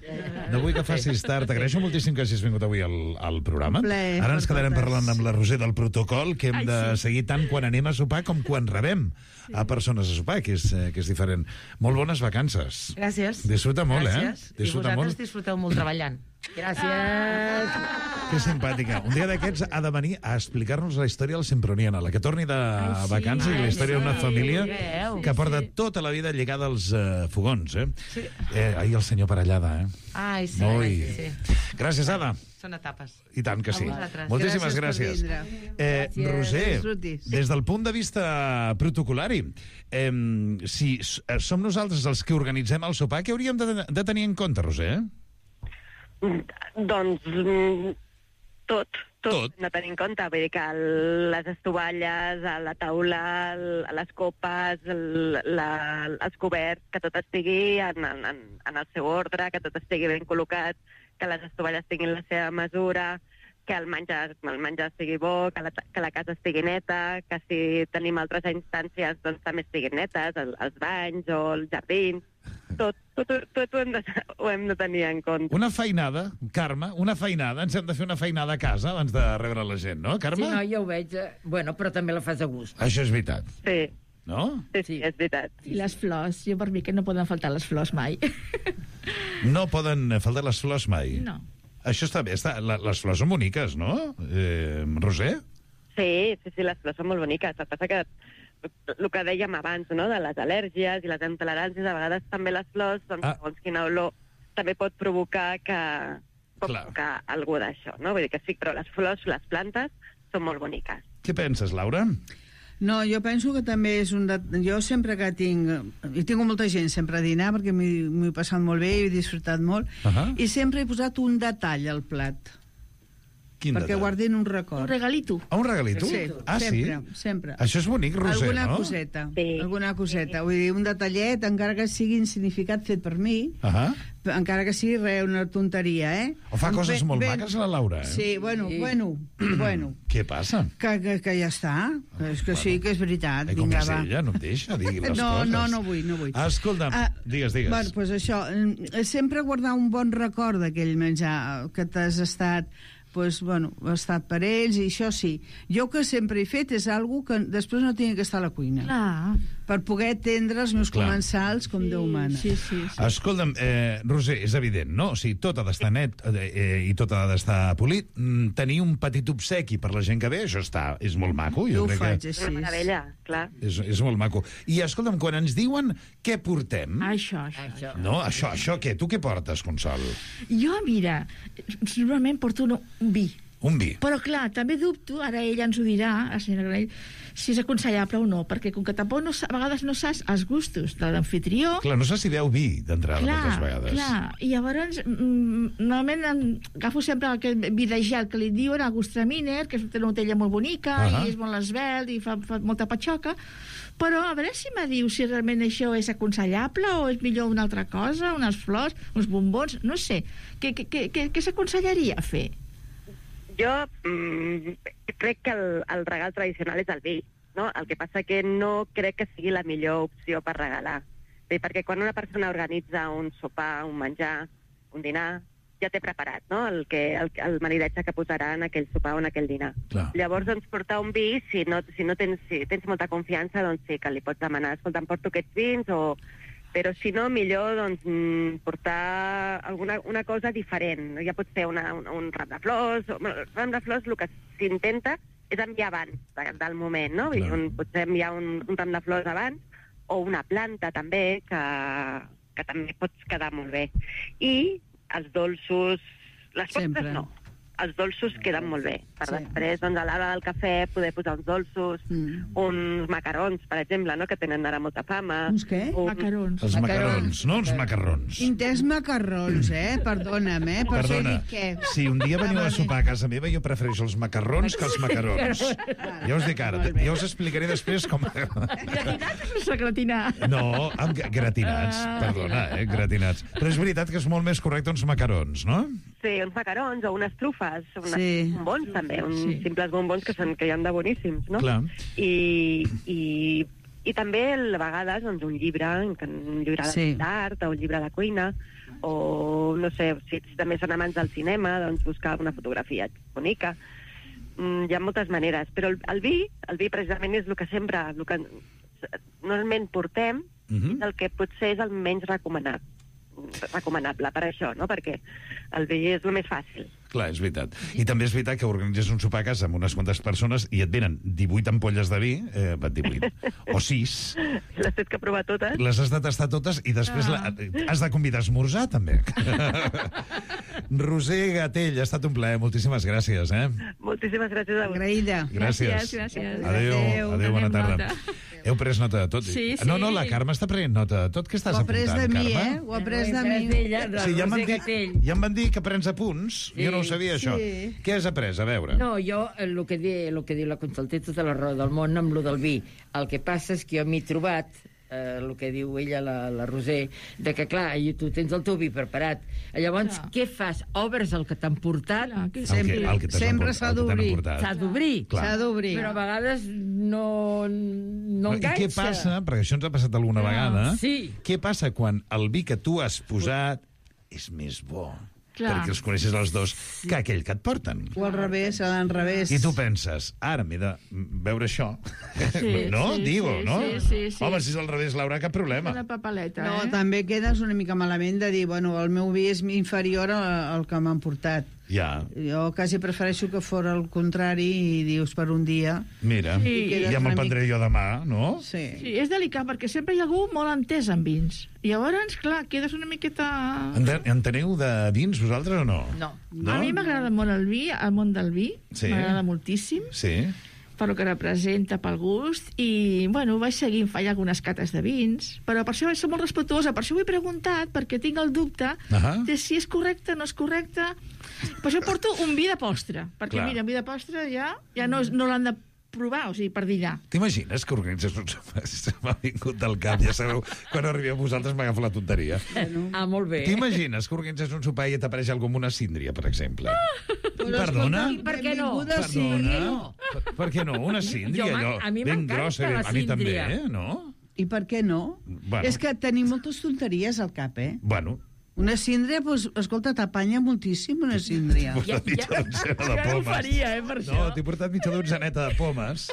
Speaker 2: No vull que facis tard. T'agraeixo moltíssim que hagis vingut avui al, al programa.
Speaker 3: Plaer,
Speaker 2: Ara ens
Speaker 3: per
Speaker 2: quedarem
Speaker 3: totes.
Speaker 2: parlant amb la Roser del protocol, que hem
Speaker 4: Ai,
Speaker 2: de
Speaker 4: sí.
Speaker 2: seguir tant quan anem a sopar com quan rebem a persones a sopar, que és, eh, que és diferent. Molt bones vacances.
Speaker 6: Gràcies.
Speaker 2: Disfruta molt,
Speaker 6: Gràcies.
Speaker 2: eh? Disfruta
Speaker 6: I vosaltres
Speaker 2: molt.
Speaker 6: disfruteu molt treballant.
Speaker 5: Gràcies.
Speaker 2: Que simpàtica. Un dia d'aquests ha de venir a explicar-nos la història del Semproniana, la que torni de
Speaker 4: sí,
Speaker 2: vacances i la història d'una
Speaker 6: sí,
Speaker 2: família
Speaker 6: veu.
Speaker 2: que porta tota la vida lligada als uh, fogons, eh? Sí. eh? Ahir el senyor Parellada, eh?
Speaker 6: Ai, sí.
Speaker 2: Ui.
Speaker 6: sí.
Speaker 2: Gràcies, Ada.
Speaker 6: Són etapes.
Speaker 2: I tant que sí.
Speaker 6: A vosaltres.
Speaker 2: Moltíssimes
Speaker 3: Gràcies
Speaker 2: gràcies.
Speaker 3: per vindre.
Speaker 2: Eh,
Speaker 5: Gràcies.
Speaker 2: Roser,
Speaker 3: Disfrutis.
Speaker 2: des del punt de vista protocolari, eh, si s- eh, som nosaltres els que organitzem el sopar, què hauríem de, de tenir en compte, Roser?
Speaker 7: Doncs mm, tot, tot,
Speaker 2: Tot.
Speaker 7: no tenir en compte. Vull dir que el, les estovalles, a la taula, el, a les copes, el, la, els coberts, que tot estigui en, en, en- en el seu ordre, que tot estigui ben col·locat, que les estovalles tinguin la seva mesura, que el menjar, el menjar estigui bo, que la, que la casa estigui neta, que si tenim altres instàncies doncs també estiguin netes, el, els banys o els jardins, tot, tot, tot, tot ho, hem de, ho hem de tenir en compte.
Speaker 2: Una feinada, Carme, una feinada. Ens hem de fer una feinada a casa abans de rebre la gent, no, Carme?
Speaker 5: Sí, no, ja ho veig. eh, Bueno, però també la fas a gust.
Speaker 2: Això és veritat,
Speaker 7: Sí,
Speaker 2: no?
Speaker 7: sí, sí, és veritat.
Speaker 4: I les flors, jo per mi que no poden faltar les flors mai.
Speaker 2: No poden faltar les flors mai.
Speaker 4: No.
Speaker 2: Això està bé. Està, la, les flors són boniques, no, eh, Roser?
Speaker 7: Sí, sí, sí, les flors són molt boniques. El que passa que el que dèiem abans, no?, de les al·lèrgies i les intoleràncies, a vegades també les flors, doncs,
Speaker 2: Ah.
Speaker 7: segons quina olor, també pot provocar que pot
Speaker 2: Clar.
Speaker 7: provocar algú d'això, no? Vull dir que sí, però les flors, les plantes, són molt boniques.
Speaker 2: Què penses, Laura?
Speaker 3: No, jo penso que també és un... De... Jo sempre que tinc... I tinc molta gent sempre a dinar perquè m'hi m'ho he passat molt bé i he disfrutat molt.
Speaker 2: Ahà.
Speaker 3: I sempre he posat un detall al plat.
Speaker 2: Quin
Speaker 3: perquè
Speaker 2: detall?
Speaker 3: guardin un
Speaker 4: Un
Speaker 3: record.
Speaker 4: regalito.
Speaker 2: Ah, un regalito?
Speaker 3: Sí,
Speaker 2: ah,
Speaker 3: sempre,
Speaker 2: sí?
Speaker 3: sempre.
Speaker 2: Això és bonic, Roser,
Speaker 3: alguna
Speaker 2: no?
Speaker 3: coseta,
Speaker 7: Sí.
Speaker 3: alguna coseta. Vull dir, un detallet, encara que sigui insignificat fet per mi,
Speaker 2: Ahà.
Speaker 3: encara que sigui res, una tonteria, eh?
Speaker 2: O fa
Speaker 3: Em
Speaker 2: coses
Speaker 3: ve-
Speaker 2: molt
Speaker 3: ben-
Speaker 2: maques, la Laura, eh?
Speaker 3: Sí, bueno,
Speaker 5: Sí.
Speaker 3: bueno, bueno.
Speaker 2: Què passa?
Speaker 3: Que, que, que ja està. És que sí, que és veritat.
Speaker 2: Eh, com
Speaker 3: Vinga,
Speaker 2: és
Speaker 3: va.
Speaker 2: ella, no em deixa dir les
Speaker 3: No,
Speaker 2: coses.
Speaker 3: no, no vull, no vull.
Speaker 2: Ah, escolta'm,
Speaker 3: Ah,
Speaker 2: digues, digues.
Speaker 3: Bueno, doncs això, eh, sempre guardar un bon record d'aquell menjar que t'has estat pues, bueno, ha estat per ells, i això sí. Jo que sempre he fet és algo que després no tingui que estar a la cuina.
Speaker 4: Clar.
Speaker 3: Per poder atendre els meus
Speaker 2: Clar.
Speaker 3: comensals com Déu mana.
Speaker 4: Sí, sí, sí.
Speaker 2: Escolta'm, eh, Roser, és evident, no? O sigui, tot ha d'estar net eh, i tot ha d'estar polit. Mm, tenir un petit obsequi per la gent que ve, això està, és molt maco.
Speaker 3: Jo ho
Speaker 2: crec
Speaker 3: faig
Speaker 2: que
Speaker 7: És
Speaker 3: així.
Speaker 7: una meravella, clar.
Speaker 2: és, és molt maco. I escolta'm, quan ens diuen què portem...
Speaker 4: Això, això.
Speaker 5: Això.
Speaker 2: No, això, això què? Tu què portes, Consol?
Speaker 4: Jo, mira, normalment porto un, un vi.
Speaker 2: Un vi.
Speaker 4: Però, clar, també dubto, ara ella ens ho dirà, la senyora Granell, si és aconsellable o no, perquè com que tampoc no, sa- a vegades no saps els gustos de l'anfitrió...
Speaker 2: Clar, no sé si veu vi d'entrada moltes vegades.
Speaker 4: clar, i llavors mm, normalment em, agafo sempre aquest vi de gel que li diuen, el Gustraminer, que és una botella molt bonica,
Speaker 2: Ahà.
Speaker 4: i és molt esvelt i fa, fa molta patxoca, però a veure si me diu si realment això és aconsellable o és millor una altra cosa, unes flors, uns bombons, no sé. Què, què, què, què, què s'aconsellaria fer?
Speaker 7: Jo mm, crec que el, el regal tradicional és el vi, no? El que passa que no crec que sigui la millor opció per regalar. Bé, perquè quan una persona organitza un sopar, un menjar, un dinar, ja té preparat, no?, el, que, el, el maridatge que posarà en aquell sopar o en aquell dinar.
Speaker 2: Clar.
Speaker 7: Llavors, doncs, portar un vi, si no, si no tens, si tens molta confiança, doncs sí, que li pots demanar, escolta, em porto aquests vins, o... però si no, millor doncs, mm, portar alguna una cosa diferent. Ja pot ser una, un, un ram de flors. O, bueno, el ram de flors el que s'intenta és enviar abans de, del moment, no? Vull dir,
Speaker 2: Clar.
Speaker 7: un, potser enviar un, un ram de flors abans, o una planta també, que, que també pots quedar molt bé. I els dolços, les postres
Speaker 3: Sempre.
Speaker 7: no. Els dolços queden molt bé. Per
Speaker 3: Sí.
Speaker 7: després, doncs, a l'hora del cafè, poder posar uns dolços,
Speaker 3: Mm.
Speaker 7: uns macarons, per exemple, no?, que tenen ara molta fama.
Speaker 3: Uns què?
Speaker 7: Un-
Speaker 4: Macarons.
Speaker 2: Els macarrons,
Speaker 5: Macarrons.
Speaker 2: no uns macarrons.
Speaker 3: Intents macarrons, eh? Perdona'm, eh? Per
Speaker 2: Perdona,
Speaker 3: ser què?
Speaker 2: si un dia veniu a sopar a casa meva, jo prefereixo els macarrons que els macarons. Ja us dic ara, ja us explicaré després com...
Speaker 4: Gratinat o sense gratinar?
Speaker 2: No, amb gra- gratinats, perdona, eh, gratinats. Però és veritat que és molt més correcte uns macarons, no?
Speaker 7: fer uns macarons o unes trufes, unes
Speaker 3: Sí.
Speaker 7: bombons també, uns
Speaker 4: Sí.
Speaker 7: simples bombons que, són, que hi ha de boníssims, no?
Speaker 2: Clar.
Speaker 7: I, i, i també a vegades doncs, un llibre, un llibre
Speaker 3: Sí.
Speaker 7: d'art o un llibre de cuina, o no sé, si també són amants del cinema, doncs buscar una fotografia bonica. Mm, hi ha moltes maneres, però el, el vi, el vi precisament és el que sempre, el que normalment portem,
Speaker 2: Mhm.
Speaker 7: és el que potser és el menys recomanat, recomanable per això, no? Perquè el vi és el més fàcil.
Speaker 2: Clar, és veritat. I també és veritat que organitzes un sopar a casa amb unes quantes persones i et venen divuit ampolles de vi, eh, divuit, o sis,
Speaker 7: Les tens que provar totes.
Speaker 2: les has de tastar totes i després la, has de convidar a esmorzar, també. Roser Gatell, ha estat un plaer. Moltíssimes gràcies, eh?
Speaker 7: Moltíssimes gràcies a vosaltres.
Speaker 3: Agraïda.
Speaker 2: Gràcies.
Speaker 4: Gràcies, gràcies.
Speaker 2: Adéu,
Speaker 3: Adéu.
Speaker 2: adéu, bona
Speaker 4: Anem
Speaker 2: tarda.
Speaker 4: nota.
Speaker 2: Heu pres nota de tot?
Speaker 4: Sí,
Speaker 2: No,
Speaker 4: sí.
Speaker 2: no, la Carme està prenent nota de tot. Què estàs
Speaker 3: Ho ha pres
Speaker 2: apuntant,
Speaker 3: de mi,
Speaker 2: Carme?
Speaker 3: eh? Ho ha pres de
Speaker 5: Ho he
Speaker 3: mi.
Speaker 5: d'ella, de
Speaker 2: Sí, ja em van,
Speaker 5: Roser
Speaker 2: dir,
Speaker 5: Gatell.
Speaker 2: ja em van dir que prens apunts.
Speaker 5: Sí.
Speaker 2: Jo no ho sabia,
Speaker 3: Sí.
Speaker 2: això. Què has après? A veure.
Speaker 5: No, jo, eh, el que, di, el que diu la Conxol té tota la raó del món amb lo del vi. El que passa és que jo m'he trobat, eh, el que diu ella, la, la Roser, de que, clar, i tu tens el teu vi preparat. Llavors,
Speaker 4: Clar.
Speaker 5: què fas? Obres el que t'han portat,
Speaker 4: Clar, que
Speaker 2: El
Speaker 4: sempre...
Speaker 2: que, el que t'has
Speaker 3: sempre
Speaker 2: emport-
Speaker 3: s'ha
Speaker 2: el que t'han
Speaker 3: d'obrir.
Speaker 2: emportat.
Speaker 5: s'ha d'obrir.
Speaker 2: Clar.
Speaker 3: S'ha d'obrir.
Speaker 5: Però a vegades no, no
Speaker 2: I
Speaker 5: enganxa.
Speaker 2: què passa, perquè això ens ha passat alguna
Speaker 5: Ah,
Speaker 2: vegada,
Speaker 5: sí.
Speaker 2: què passa quan el vi que tu has posat és més bo?
Speaker 4: Clar.
Speaker 2: Perquè els coneixes els dos, que aquell que et porten.
Speaker 3: O al revés, a l'enrevés.
Speaker 2: I tu penses, ara m'he de veure això.
Speaker 4: Sí,
Speaker 2: no?
Speaker 4: sí,
Speaker 2: Digo,
Speaker 4: sí,
Speaker 2: no?
Speaker 4: sí, sí, sí.
Speaker 2: Home, si és al revés, Laura, cap problema.
Speaker 4: Una papaleta,
Speaker 3: No,
Speaker 4: eh?
Speaker 3: també quedes una mica malament de dir, bueno, el meu vi és inferior a- al que m'han portat.
Speaker 2: Ja,
Speaker 3: Jo quasi prefereixo que fos el contrari i dius per un dia.
Speaker 2: mira.
Speaker 4: Sí.
Speaker 2: I ja me'l prendré jo demà, no?
Speaker 3: Sí.
Speaker 4: Sí, és delicat, perquè sempre hi ha algú molt entès en vins. I llavors, clar, quedes una miqueta...
Speaker 2: Ente- Enteneu de vins, vosaltres, o no?
Speaker 5: No.
Speaker 2: No?
Speaker 4: A mi m'agrada molt el vi, el món del vi.
Speaker 2: Sí.
Speaker 4: M'agrada moltíssim,
Speaker 2: Sí.
Speaker 4: per lo que representa, pel gust. I, bueno, vaig seguint fallar algunes cates de vins. Però per això vaig ser molt respectuosa. Per això ho he preguntat, perquè tinc el dubte
Speaker 2: Ahà.
Speaker 4: de si és correcte o no és correcte. Per això porto un vi de postre. Perquè,
Speaker 2: Clar.
Speaker 4: mira, un vi de postre ja, ja no, és- no l'han de provar, o sigui, per dinar.
Speaker 2: T'imagines que organitzes un sopar? M'ha vingut del cap, ja sabeu, quan arribeu vosaltres m'agafa la tonteria.
Speaker 5: Ah, molt bé.
Speaker 2: T'imagines que organitzes un sopar i et apareix algú amb una síndria, per exemple?
Speaker 3: Però,
Speaker 2: Perdona?
Speaker 3: escolta,
Speaker 5: Per què no?
Speaker 3: benvinguda, sí.
Speaker 2: Perdona? Per, per què no? Una síndria,
Speaker 5: Jo m'en-
Speaker 2: allò,
Speaker 5: a mi
Speaker 2: ben
Speaker 5: m'encanta
Speaker 2: grossa.
Speaker 5: la
Speaker 2: A mi també,
Speaker 5: síndria.
Speaker 2: eh? No?
Speaker 3: I per què no?
Speaker 2: Bueno.
Speaker 3: És que tenim moltes tonteries al cap, eh?
Speaker 2: Bueno,
Speaker 3: Una síndria, doncs, escolta, t'apanya moltíssim una síndria.
Speaker 2: T'he portat mitja dotzena de
Speaker 4: Ja no ho
Speaker 2: pomes.
Speaker 4: faria, eh, per això.
Speaker 2: No, t'he portat mitja donzeneta de pomes.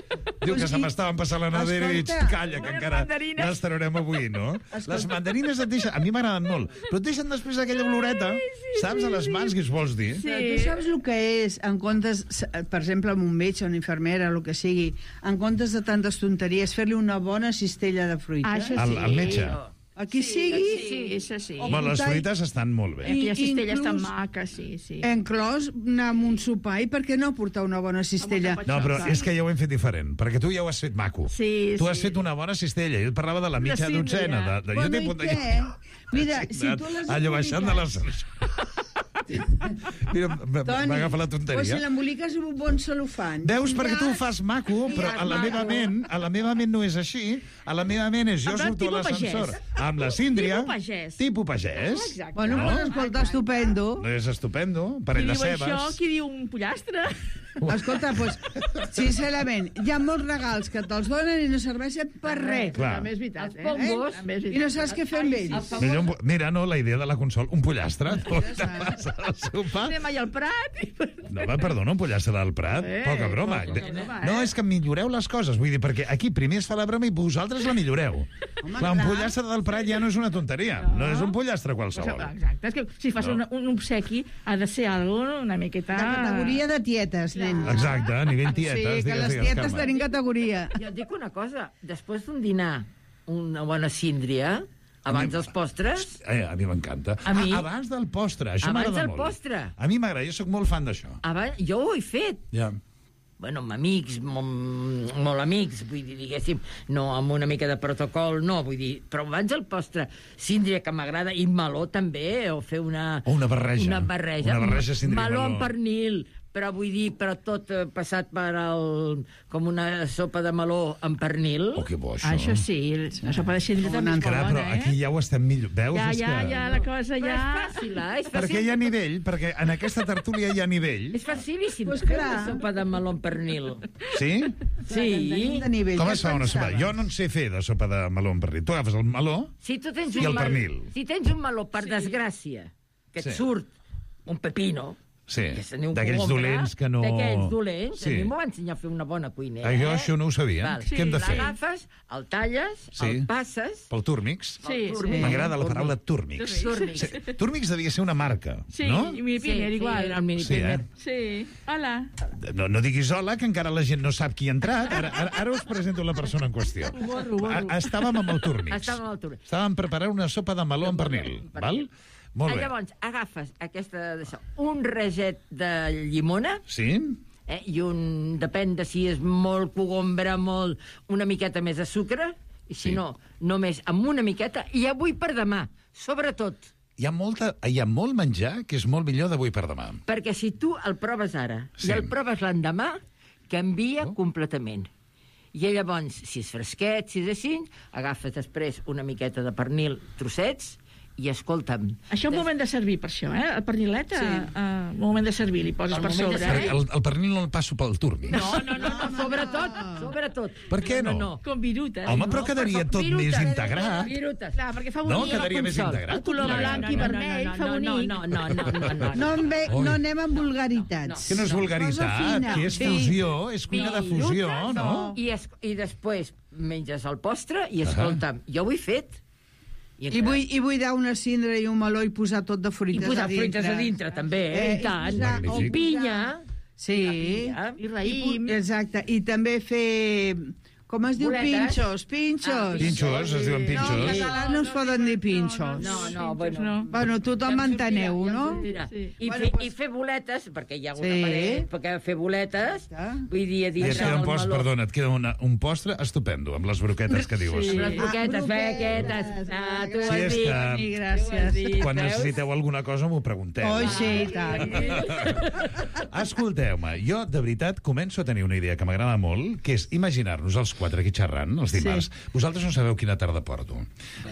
Speaker 2: Diu que
Speaker 3: Pues
Speaker 2: se
Speaker 3: i-
Speaker 2: m'estaven passant la nevera i dic,
Speaker 3: Escolta,
Speaker 2: calla, que
Speaker 4: unes
Speaker 2: encara
Speaker 4: mandarines.
Speaker 2: les tararem avui, no? Les mandarines et deixen... A mi m'agraden molt, però et deixen després aquella oloreta, saps, a les mans, què us vols dir?
Speaker 4: Sí.
Speaker 3: Però tu saps el que és, en comptes, per exemple, amb un metge, una infermera, el que sigui, en comptes de tantes tonteries, fer-li una bona cistella de fruita.
Speaker 4: Ah, això
Speaker 2: Al,
Speaker 4: sí.
Speaker 2: al metge.
Speaker 3: A qui sigui,
Speaker 4: Sí, això sí.
Speaker 3: O-
Speaker 2: Home, les
Speaker 3: muntar-
Speaker 2: fruites estan molt bé.
Speaker 4: Aquella cistella
Speaker 3: inclús-
Speaker 4: tan maca, sí, sí.
Speaker 3: enclòs anar amb un sopar, i per què no portar una bona cistella?
Speaker 4: Amb
Speaker 2: No, però
Speaker 4: Clar.
Speaker 2: és que ja ho hem fet diferent, perquè tu ja ho has fet maco.
Speaker 4: Sí,
Speaker 2: tu has
Speaker 4: sí.
Speaker 2: fet una bona cistella. Jo et parlava de la mitja
Speaker 4: síndria.
Speaker 2: dotzena. De, de, jo
Speaker 3: Bueno,
Speaker 2: t'he
Speaker 3: i
Speaker 2: apuntat-
Speaker 3: què? Mira, si
Speaker 2: Anat
Speaker 3: tu les
Speaker 2: allò baixant de
Speaker 3: emboliques-
Speaker 2: l'ascensor. Mira, m-
Speaker 3: Toni,
Speaker 2: m'agafa la
Speaker 3: o si
Speaker 2: tonteria.
Speaker 3: l'emboliques amb un bon celofan.
Speaker 2: Veus, perquè
Speaker 3: Ja-
Speaker 2: tu ho fas maco, però a la meva ment, a la meva ment no és així. A la meva ment és jo
Speaker 4: En plan
Speaker 2: surto a
Speaker 4: tipus
Speaker 2: l'ascensor
Speaker 4: pagès.
Speaker 2: amb la síndria.
Speaker 4: Tipus pagès.
Speaker 2: Tipus pagès.
Speaker 4: Exacte.
Speaker 3: Bueno,
Speaker 2: No?
Speaker 3: no? pues, escolta, estupendo.
Speaker 2: No és estupendo,
Speaker 4: Qui
Speaker 2: parell de
Speaker 4: diu això,
Speaker 2: cebes.
Speaker 4: qui diu un pollastre?
Speaker 3: Escolta, doncs, sincerament, hi ha molts regals que te'ls donen i no serveixen per res.
Speaker 2: Clar.
Speaker 4: També és veritat,
Speaker 5: Els
Speaker 4: eh?
Speaker 5: pongos.
Speaker 4: També és
Speaker 3: I no
Speaker 4: veritat.
Speaker 3: saps què fer amb ells.
Speaker 2: Millor un po- Mira, no, la idea de la consol, un pollastre. No, te passa al sopar.
Speaker 4: Anem allà al Prat i...
Speaker 2: No, va, perdona, un pollastre del Prat?
Speaker 4: Eh,
Speaker 2: Poca broma.
Speaker 4: poca broma, eh?
Speaker 2: No, és que milloreu les coses. Vull dir, perquè aquí primer es fa la broma i vosaltres la milloreu.
Speaker 3: Home,
Speaker 2: Clar, un
Speaker 3: clar.
Speaker 2: pollastre del Prat ja no és una tonteria. No és un pollastre qualsevol.
Speaker 4: Exacte, és que si fas
Speaker 2: No.
Speaker 4: un, un obsequi ha de ser algo una miqueta...
Speaker 3: De categoria de tietes, nen.
Speaker 2: Exacte, a nivell
Speaker 3: Sí,
Speaker 2: tietes.
Speaker 3: que
Speaker 2: digues,
Speaker 3: les
Speaker 2: digues,
Speaker 3: tietes
Speaker 2: Carme.
Speaker 3: tenim categoria.
Speaker 5: Jo et dic una cosa, després d'un dinar, una bona síndria, abans dels postres,
Speaker 2: Eh, a mi m'encanta.
Speaker 5: A mi-
Speaker 2: Ah, abans del postre, això
Speaker 5: Abans
Speaker 2: m'agrada
Speaker 5: del
Speaker 2: molt.
Speaker 5: postre.
Speaker 2: A mi m'agrada, jo sóc molt fan d'això.
Speaker 5: abans, jo ho he fet.
Speaker 2: Ja.
Speaker 5: Bueno, amb amics, molt, molt amics, vull dir, diguéssim, no amb una mica de protocol, no, vull dir, però abans el postre, síndria que m'agrada, i meló també, o fer una...
Speaker 2: O una barreja.
Speaker 5: Una barreja.
Speaker 2: Una barreja síndria i
Speaker 5: meló
Speaker 2: meló.
Speaker 5: amb pernil, però vull dir, però tot eh, passat per el... com una sopa de meló amb pernil.
Speaker 2: Oh, que bo, això.
Speaker 4: Ah, això sí, la sopa de cendra també és molt
Speaker 2: Clar, però
Speaker 4: bona,
Speaker 2: aquí
Speaker 4: eh?
Speaker 2: ja ho estem millor. Veus?
Speaker 4: Ja,
Speaker 2: És
Speaker 4: ja,
Speaker 2: que...
Speaker 4: ja, la cosa
Speaker 5: Però
Speaker 4: ja...
Speaker 5: és fàcil, eh? És fàcil.
Speaker 2: Perquè hi ha nivell, perquè en aquesta tertúlia hi ha nivell.
Speaker 5: És facilíssim
Speaker 3: Pues
Speaker 5: fer
Speaker 3: clar.
Speaker 5: una sopa de meló amb pernil.
Speaker 2: Sí?
Speaker 5: Sí.
Speaker 3: De nivell,
Speaker 2: Com
Speaker 3: què
Speaker 2: es fa una sopa?
Speaker 3: pensaves?
Speaker 2: Jo no en sé fer de sopa de meló amb pernil. Tu agafes el meló...
Speaker 5: Si tu tens
Speaker 2: I
Speaker 5: un
Speaker 2: el
Speaker 5: mal-
Speaker 2: pernil.
Speaker 5: Si tens un meló, per desgràcia, que et
Speaker 2: Sí.
Speaker 5: surt un pepino,
Speaker 2: Sí,
Speaker 5: que se n'hi
Speaker 2: d'aquells
Speaker 5: compra,
Speaker 2: dolents que no...
Speaker 5: D'aquells dolents,
Speaker 2: Sí.
Speaker 5: a mi m'ho va ensenyar a fer una bona cuinera.
Speaker 2: Ah, jo
Speaker 5: eh?
Speaker 2: això no ho sabia.
Speaker 5: Val.
Speaker 2: Què hem de fer?
Speaker 5: L'agafes, el talles,
Speaker 2: Sí.
Speaker 5: el passes...
Speaker 2: Pel túrmix?
Speaker 4: Sí,
Speaker 5: el túrmix.
Speaker 2: M'agrada la paraula túrmix.
Speaker 5: Túrmix.
Speaker 2: Sí. Túrmix devia ser una marca,
Speaker 4: Sí,
Speaker 2: no?
Speaker 4: i mi Piner,
Speaker 5: sí,
Speaker 4: igual.
Speaker 5: era el mini
Speaker 2: Sí, eh?
Speaker 4: Sí, hola.
Speaker 2: No, no diguis hola, que encara la gent no sap qui ha entrat. Ara, ara, ara us presento la persona en qüestió.
Speaker 4: borro, borro.
Speaker 2: A- Estàvem amb el túrmix.
Speaker 5: Estàvem amb el túrmix.
Speaker 2: Estàvem preparant una sopa de meló amb pernil, val? Molt bé.
Speaker 5: Llavors, agafes aquesta, d'això, un raget de llimona,
Speaker 2: Sí?
Speaker 5: eh, i un, depèn de si és molt cogombre, molt, una miqueta més de sucre, i si
Speaker 2: Sí.
Speaker 5: no, només amb una miqueta, i avui per demà, sobretot,
Speaker 2: Hi ha, molta, hi ha molt menjar que és molt millor d'avui per demà.
Speaker 5: perquè si tu el proves ara
Speaker 2: Sí.
Speaker 5: i el proves l'endemà, canvia
Speaker 2: Oh.
Speaker 5: completament. I llavors, si és fresquet, si és així, agafes després una miqueta de pernil, trossets, i escolta'm...
Speaker 4: Això és un moment de servir, per això, eh? El pernilet, sí. uh, un moment de servir, li poses
Speaker 5: El
Speaker 4: per
Speaker 5: moment de
Speaker 4: sobre.
Speaker 5: servir.
Speaker 4: Eh?
Speaker 2: El, el pernil no el passo pel túrmix.
Speaker 5: No, no, no, no, sobretot, sobretot.
Speaker 2: Per què no?
Speaker 5: No, no.
Speaker 4: Com viruta.
Speaker 2: Home,
Speaker 4: no?
Speaker 2: però quedaria tot
Speaker 5: Virutes.
Speaker 2: més integrat.
Speaker 5: Virutes.
Speaker 4: Clar, perquè fa
Speaker 2: No,
Speaker 4: bonic.
Speaker 2: quedaria més
Speaker 5: consol.
Speaker 2: integrat.
Speaker 4: El color
Speaker 2: tot plegat.
Speaker 4: blanc i vermell, fa bonic.
Speaker 5: No, no, no, no, no, no.
Speaker 3: No, en ve,
Speaker 2: Ui.
Speaker 3: no anem amb vulgaritats.
Speaker 2: Que no és
Speaker 3: Cosa
Speaker 2: vulgaritat,
Speaker 3: fina.
Speaker 2: que és
Speaker 3: Sí.
Speaker 2: fusió, és cuina de fusió,
Speaker 5: Virutes,
Speaker 2: no?
Speaker 5: I, es, I després menges el postre i escolta'm, jo ho he fet.
Speaker 3: I vull, I vull dar una cindra i un meló i posar tot de
Speaker 5: I
Speaker 3: fruites
Speaker 5: posar
Speaker 3: a dintre.
Speaker 5: fruites a dintre, també, eh?
Speaker 3: Eh,
Speaker 5: I tant.
Speaker 3: i posar-
Speaker 5: O
Speaker 2: Magnífic.
Speaker 5: pinya.
Speaker 3: Sí.
Speaker 5: pinya.
Speaker 4: I raïm.
Speaker 3: Exacte. I també fer... Com es diu?
Speaker 5: Boletes.
Speaker 3: Pinxos, pinxos.
Speaker 5: Ah,
Speaker 2: Pinxos, es diuen
Speaker 3: No, en
Speaker 2: pinxos.
Speaker 3: català no es poden dir pinxos.
Speaker 5: No, no, bueno.
Speaker 4: no.
Speaker 3: Bueno, tothom m'enteneu,
Speaker 5: Ja em
Speaker 3: no?
Speaker 5: sortirà.
Speaker 4: Sí.
Speaker 5: I,
Speaker 3: Bueno,
Speaker 5: fer,
Speaker 3: pues-
Speaker 5: I fer boletes, perquè hi ha una
Speaker 3: Sí.
Speaker 5: paret, perquè fer boletes,
Speaker 3: Exacte.
Speaker 5: vull dir, a
Speaker 2: I et
Speaker 5: dintre
Speaker 2: queda un
Speaker 5: del
Speaker 2: post,
Speaker 5: meló.
Speaker 2: perdona, et queda una, un postre estupendo, amb les broquetes que dius.
Speaker 4: Sí.
Speaker 5: Amb les broquetes,
Speaker 3: Ah,
Speaker 5: bequetes.
Speaker 3: broquetes.
Speaker 5: Ah, tu ho
Speaker 2: Sí,
Speaker 5: has
Speaker 2: és
Speaker 5: dit.
Speaker 2: que-
Speaker 3: Sí,
Speaker 5: Tu ho
Speaker 3: gràcies.
Speaker 5: has dit,
Speaker 2: Quan
Speaker 5: veus?
Speaker 2: necessiteu alguna cosa m'ho pregunteu.
Speaker 3: Oh, sí, i tant.
Speaker 2: Escolteu-me, jo de veritat començo a tenir una idea que m'agrada molt, que és imaginar-nos els quatre aquí xerrant, els dimarts. Sí. Vosaltres no sabeu quina tarda porto.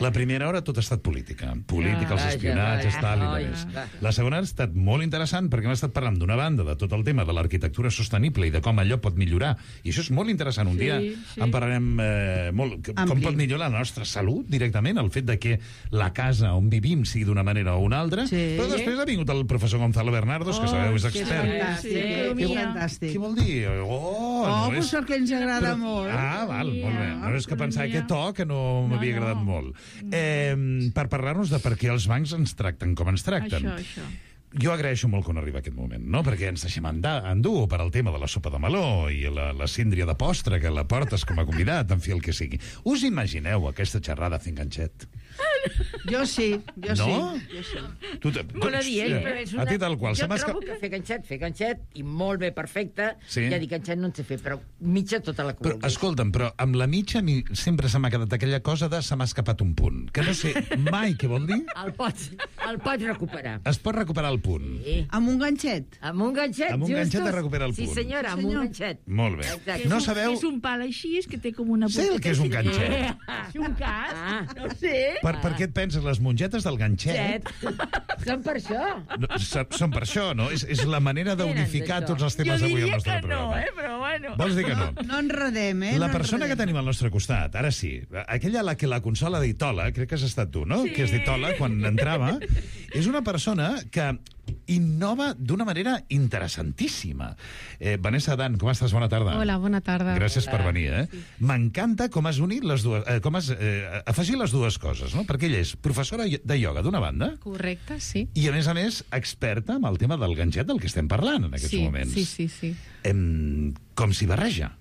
Speaker 2: La primera hora tot ha estat política. Política, els
Speaker 5: Vaja,
Speaker 2: espionatges,
Speaker 5: vaja,
Speaker 2: tal i
Speaker 5: oi,
Speaker 2: de més.
Speaker 5: va.
Speaker 2: La segona ha estat molt interessant perquè hem estat parlant d'una banda de tot el tema de l'arquitectura sostenible i de com allò pot millorar. I això és molt interessant. Un
Speaker 4: Sí,
Speaker 2: dia
Speaker 4: sí.
Speaker 2: en parlarem eh, molt. Com
Speaker 3: Ampli.
Speaker 2: pot millorar la nostra salut directament, el fet de que la casa on vivim sigui d'una manera o una altra.
Speaker 3: Sí.
Speaker 2: Però després ha vingut el professor Gonzalo Bernardos, que sabeu, és
Speaker 5: que
Speaker 2: expert.
Speaker 3: Fantàstic,
Speaker 4: Sí,
Speaker 3: que
Speaker 4: economia.
Speaker 3: fantàstic.
Speaker 2: Què vol dir? Oh,
Speaker 3: Oh,
Speaker 2: no
Speaker 3: pues
Speaker 2: és...
Speaker 3: el que ens agrada molt.
Speaker 2: Ah, val, molt bé. No és que pensava
Speaker 4: economia.
Speaker 2: aquest to que no m'havia
Speaker 4: no.
Speaker 2: agradat molt. Eh, per parlar-nos de per què els bancs ens tracten com ens tracten.
Speaker 4: Això, això.
Speaker 2: Jo agraeixo molt que no arriba aquest moment, no? Perquè ens deixem andar, endur per al tema de la sopa de meló i la, la síndria de postre que la portes com a convidat, en fi, el que sigui. Us imagineu aquesta xerrada fent ganxet?
Speaker 3: Jo sí, jo
Speaker 2: No?
Speaker 3: sí. Jo sí.
Speaker 2: Tu, tu,
Speaker 5: Molt adient,
Speaker 2: sí.
Speaker 5: però és una...
Speaker 2: A ti tal qual.
Speaker 5: Jo
Speaker 2: Se m'ha
Speaker 5: trobo
Speaker 2: esca-
Speaker 5: que fer ganxet, fer ganxet, i molt bé, perfecte.
Speaker 2: Sí.
Speaker 5: Ja dic, ganxet no en sé fer, però mitja tota la
Speaker 2: Però,
Speaker 5: cua.
Speaker 2: escolta'm, però amb la mitja a mi sempre se m'ha quedat aquella cosa de se m'ha escapat un punt, que no sé mai què vol dir.
Speaker 5: El pots, el pots recuperar.
Speaker 2: Es pot recuperar el punt.
Speaker 5: Sí.
Speaker 3: Amb un ganxet.
Speaker 5: Amb un ganxet,
Speaker 2: Amb un
Speaker 5: justos.
Speaker 2: ganxet es recupera el
Speaker 5: Sí,
Speaker 2: punt.
Speaker 5: senyora, amb
Speaker 3: Senyor.
Speaker 5: un ganxet.
Speaker 2: Molt bé.
Speaker 5: Exacte.
Speaker 2: No
Speaker 4: És un-
Speaker 2: sabeu...
Speaker 4: És un pal així, és que té com una
Speaker 2: Sé el que és un
Speaker 4: punteta així.
Speaker 2: ganxet.
Speaker 4: És un cas,
Speaker 5: Ah.
Speaker 4: no sé.
Speaker 2: Per, per què et penses? Les mongetes del ganxet
Speaker 5: Ganxet. Són per això.
Speaker 2: no, s- són per això, no? És, és la manera d'unificar
Speaker 5: d'això.
Speaker 2: tots els
Speaker 4: Jo
Speaker 2: temes avui al
Speaker 4: diria
Speaker 2: nostre
Speaker 4: que no,
Speaker 2: programa.
Speaker 4: eh? Però bueno.
Speaker 2: Vols dir que no?
Speaker 3: No enredem, eh?
Speaker 2: La
Speaker 3: no
Speaker 2: persona que
Speaker 3: enredem.
Speaker 2: tenim al nostre costat, ara sí, aquella a la que la consola d'Itola, crec que has estat tu, no?
Speaker 4: Sí.
Speaker 2: Que és d'Itola quan entrava, és una persona que innova d'una manera interessantíssima. Eh, Vanessa Dan, com estàs? Bona tarda.
Speaker 8: Hola, bona tarda.
Speaker 2: Gràcies per venir, eh? M'encanta com has unit les dues... Eh, com has eh, afegit les dues coses, no? Perquè ella és professora de ioga d'una banda
Speaker 8: Correcte, sí.
Speaker 2: i, a més a més, experta en el tema del ganxet del que estem parlant en aquests
Speaker 8: sí,
Speaker 2: moments.
Speaker 8: sí, sí, sí.
Speaker 2: Em, com s'hi barreja?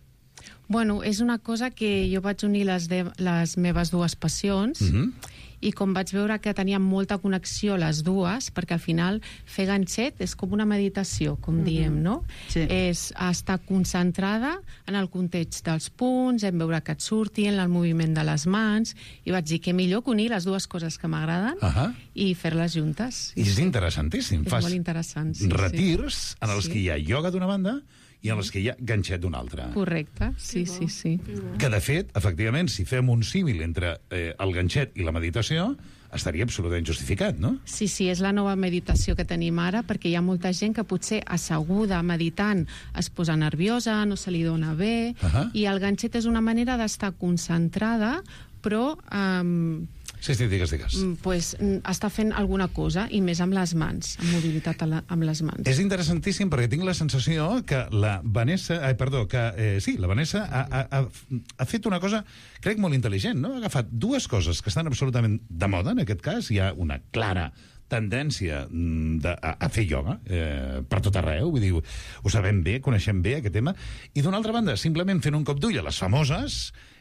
Speaker 8: Bueno, és una cosa que jo vaig unir les, de, les meves dues passions,
Speaker 2: Mhm.
Speaker 8: i com vaig veure que tenia molta connexió les dues, perquè al final fer ganxet és com una meditació, com mm-hmm. diem, no?
Speaker 3: Sí.
Speaker 8: És estar concentrada en el context dels punts, en veure que et surti, en el moviment de les mans, i vaig dir que millor que unir les dues coses que m'agraden
Speaker 2: Ahà.
Speaker 8: i fer-les juntes.
Speaker 2: I és interessantíssim.
Speaker 8: És
Speaker 2: Fas
Speaker 8: molt interessant, sí,
Speaker 2: retirs
Speaker 8: sí.
Speaker 2: en els
Speaker 8: Sí.
Speaker 2: que hi ha ioga d'una banda i en els que hi ha ganxet d'una altra.
Speaker 8: Correcte, sí, sí, sí.
Speaker 2: Que, de fet, efectivament, si fem un símil entre eh, el ganxet i la meditació, estaria absolutament justificat, no?
Speaker 8: Sí, sí, és la nova meditació que tenim ara, perquè hi ha molta gent que potser asseguda, meditant, es posa nerviosa, no se li dona bé,
Speaker 2: Ahà.
Speaker 8: i el ganxet és una manera d'estar concentrada, però um,
Speaker 2: Sí, sí, digues, digues.
Speaker 8: pues, està fent alguna cosa, i més amb les mans, amb mobilitat a la, amb les mans.
Speaker 2: És interessantíssim perquè tinc la sensació que la Vanessa... Ai, perdó, que eh, sí, la Vanessa ha, ha, ha, ha fet una cosa, crec, molt intel·ligent, no? Ha agafat dues coses que estan absolutament de moda, en aquest cas. Hi ha una clara tendència de, a, a fer ioga eh, per tot arreu, vull dir, ho sabem bé, coneixem bé aquest tema, i d'una altra banda, simplement fent un cop d'ull a les famoses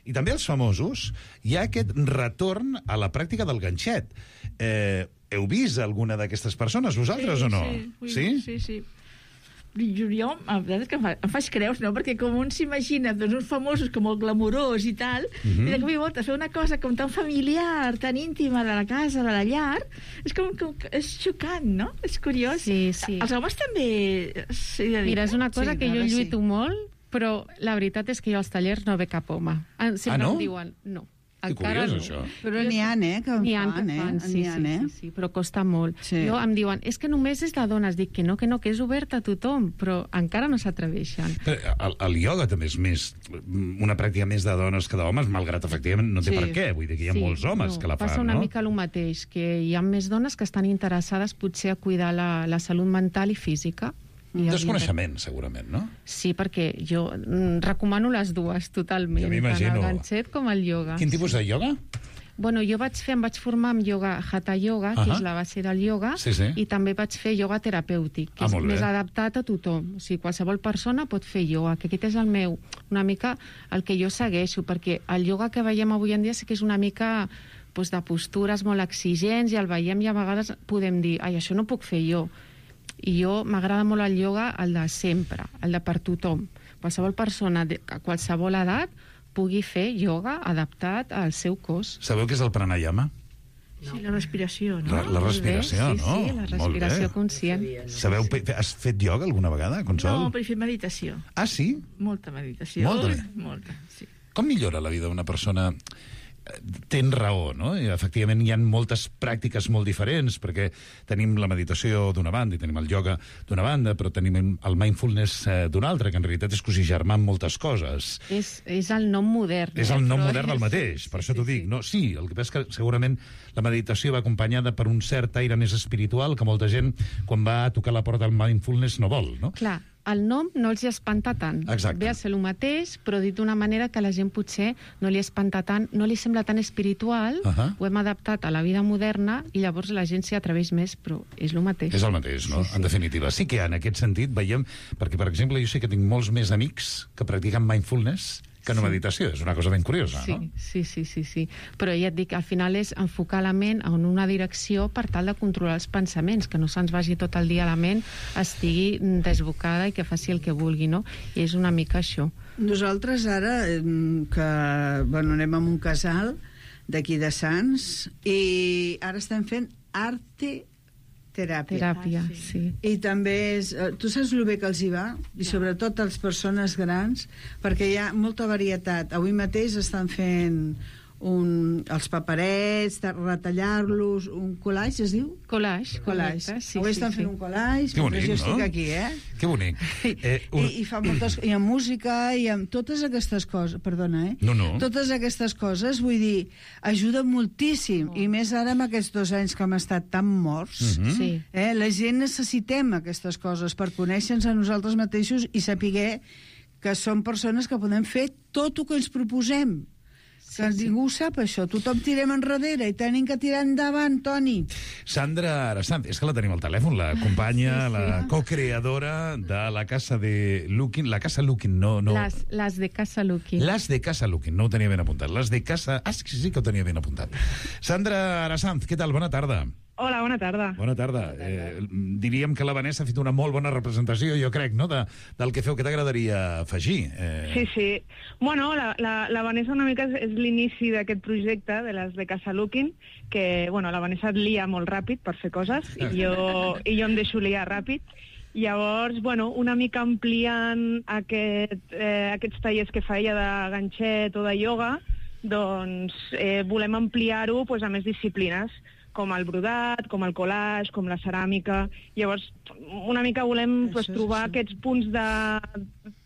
Speaker 2: i també als famosos, hi ha aquest retorn a la pràctica del ganxet. Eh, heu vist alguna d'aquestes persones, vosaltres,
Speaker 4: sí,
Speaker 2: o no?
Speaker 4: Sí,
Speaker 2: sí?
Speaker 4: Sí, sí. Jo, jo, la veritat és que em, fa, em faig creus, no? Perquè com un s'imagina doncs, uns famosos com molt glamurós i tal, mm -hmm. i de cop i volta fer una cosa com tan familiar, tan íntima de la casa, de la llar, és com, com és xocant, no? És curiós.
Speaker 8: Sí, sí.
Speaker 4: Els homes també s'hi dediquen.
Speaker 8: Mira, és una cosa
Speaker 3: Sí,
Speaker 8: que jo
Speaker 3: ara sí.
Speaker 8: lluito molt, però la veritat és que jo als tallers no ve cap home. Sempre
Speaker 2: Ah, no?
Speaker 8: em diuen, no.
Speaker 2: Que
Speaker 8: Encara
Speaker 2: curiós,
Speaker 8: no.
Speaker 2: això.
Speaker 3: Però n'hi ha, eh, que en
Speaker 8: N'hi ha
Speaker 3: fan,
Speaker 8: que
Speaker 3: eh?
Speaker 8: fan, sí,
Speaker 3: N'hi
Speaker 8: sí,
Speaker 3: ha, eh?
Speaker 8: sí, sí, però costa molt.
Speaker 3: Sí.
Speaker 8: Jo em diuen, és que només és de dones. Dic que no, que no, que és obert a tothom, però encara no s'atreveixen.
Speaker 2: Però el, el ioga també és més una pràctica més de dones que d'homes, malgrat efectivament no té
Speaker 3: Sí.
Speaker 2: per què. Vull dir que hi ha
Speaker 8: Sí,
Speaker 2: molts homes
Speaker 8: no,
Speaker 2: que la fan,
Speaker 8: passa una
Speaker 2: no?
Speaker 8: mica el mateix, que hi ha més dones que estan interessades potser a cuidar la, la salut mental i física. I els
Speaker 2: Desconeixement, segurament, no?
Speaker 8: Sí, perquè jo mm, recomano les dues totalment,
Speaker 2: Jo m'imagino.
Speaker 8: tant el ganxet com el ioga.
Speaker 2: Quin tipus de ioga?
Speaker 8: Bueno, jo vaig fer, em vaig formar amb ioga Hatha Yoga, que
Speaker 2: Ahà.
Speaker 8: és la base del ioga,
Speaker 2: Sí, sí.
Speaker 8: i també vaig fer ioga terapèutic, que
Speaker 2: Ah,
Speaker 8: és
Speaker 2: molt bé.
Speaker 8: més adaptat a tothom. O sigui, qualsevol persona pot fer ioga, que aquest és el meu, una mica el que jo segueixo, perquè el ioga que veiem avui en dia sí que és una mica doncs, de postures molt exigents, i el veiem i a vegades podem dir, ai, això no puc fer jo. I jo m'agrada molt el ioga, el de sempre, el de per tothom. Qualsevol persona de a qualsevol edat pugui fer ioga adaptat al seu cos.
Speaker 2: Sabeu què és el pranayama?
Speaker 4: Sí, la respiració, no?
Speaker 2: La, la respiració,
Speaker 8: bé, sí,
Speaker 2: no?
Speaker 8: Sí, la respiració
Speaker 2: Molt bé.
Speaker 8: conscient.
Speaker 2: Sabeu, pe- has fet ioga alguna vegada, Consol?
Speaker 4: No, però he fet meditació.
Speaker 2: Ah, sí?
Speaker 4: Molta meditació.
Speaker 2: Molta.
Speaker 4: Molta, sí.
Speaker 2: Com millora la vida d'una persona? Tens raó, no? I, efectivament, hi ha moltes pràctiques molt diferents, perquè tenim la meditació d'una banda i tenim el ioga d'una banda, però tenim el mindfulness eh, d'una altra, que en realitat és cosigermar amb moltes coses.
Speaker 8: És, és el nom modern.
Speaker 2: És
Speaker 8: eh,
Speaker 2: el nom
Speaker 8: però
Speaker 2: modern del
Speaker 8: és-
Speaker 2: mateix, per això t'ho
Speaker 8: sí,
Speaker 2: dic.
Speaker 8: sí.
Speaker 2: No, sí, el que passa és que segurament la meditació va acompanyada per un cert aire més espiritual que molta gent, quan va a tocar la porta del mindfulness, no vol, no?
Speaker 8: Clar, el nom no els hi espanta tant.
Speaker 2: Exacte.
Speaker 8: Ve a ser el mateix, però dit d'una manera que la gent potser no li espanta tant, no li sembla tan espiritual,
Speaker 2: Ahà.
Speaker 8: ho hem adaptat a la vida moderna i llavors la gent s'hi atreveix més, però és el mateix.
Speaker 2: És el mateix, no?
Speaker 8: Sí, sí.
Speaker 2: En definitiva. Sí que en aquest sentit veiem... Perquè, per exemple, jo sé que tinc molts més amics que practiquen mindfulness que no
Speaker 8: Sí.
Speaker 2: meditació. És una cosa ben curiosa,
Speaker 8: Sí,
Speaker 2: no?
Speaker 8: sí, sí, sí, sí. Però ja et dic, al final és enfocar la ment en una direcció per tal de controlar els pensaments, que no se'ns vagi tot el dia a la ment, estigui desbocada i que faci el que vulgui, no? I és una mica això.
Speaker 3: Nosaltres ara, eh, que bueno, anem a un casal d'aquí de Sants, i ara estem fent arte teràpia.
Speaker 8: Teràpia,
Speaker 4: Ah,
Speaker 8: sí.
Speaker 3: I també és... eh, Tu saps el bé que els hi va? I sobretot a les persones grans, perquè hi ha molta varietat. Avui mateix estan fent un, els paperets, de retallar-los, un collage, es diu?
Speaker 8: Collage.
Speaker 3: Collage.
Speaker 8: correcte, Sí,
Speaker 3: Avui
Speaker 8: sí,
Speaker 3: estan
Speaker 8: sí.
Speaker 3: fent un collage,
Speaker 2: Que bonic,
Speaker 3: mentre jo
Speaker 2: no?
Speaker 3: estic aquí, eh?
Speaker 2: Que bonic. Eh,
Speaker 3: I, i fa moltes... I amb música, i amb totes aquestes coses... Perdona, eh?
Speaker 2: No, no.
Speaker 3: Totes aquestes coses, vull dir, ajuden moltíssim. I més ara amb aquests dos anys que hem estat tan morts.
Speaker 2: Mhm.
Speaker 8: Sí.
Speaker 3: Eh? La gent necessitem aquestes coses per conèixer-nos a nosaltres mateixos i saber que som persones que podem fer tot el que ens proposem. que ningú sap això. Tothom tirem enrere i tenim que tirar endavant, Toni.
Speaker 2: Sandra Arasant, és que la tenim al telèfon, la companya, sí, sí. la co-creadora de la Casa de Lukin. La Casa Lukin, no... no...
Speaker 8: Les, les de Casa Lukin.
Speaker 2: Les de Casa Lukin, no ho tenia ben apuntat. Les de Casa... Ah, sí, sí que ho tenia ben apuntat. Sandra Arasant, què tal? Bona tarda.
Speaker 9: Hola, bona tarda.
Speaker 2: Bona tarda. Eh, diríem que la Vanessa ha fet una molt bona representació, jo crec, no?, de, del que feu. Què t'agradaria afegir? Eh...
Speaker 9: Sí, sí. Bueno, la, la, la Vanessa una mica és, és l'inici d'aquest projecte de les de Casa Lukin, que, bueno, la Vanessa et lia molt ràpid per fer coses, i jo, i jo em deixo liar ràpid. Llavors, bueno, una mica ampliant aquest, eh, aquests tallers que fa ella de ganxet o de ioga, doncs eh, volem ampliar-ho pues, a més disciplines, com el brodat, com el collage, com la ceràmica. Llavors, una mica volem pues, trobar sí. aquests punts de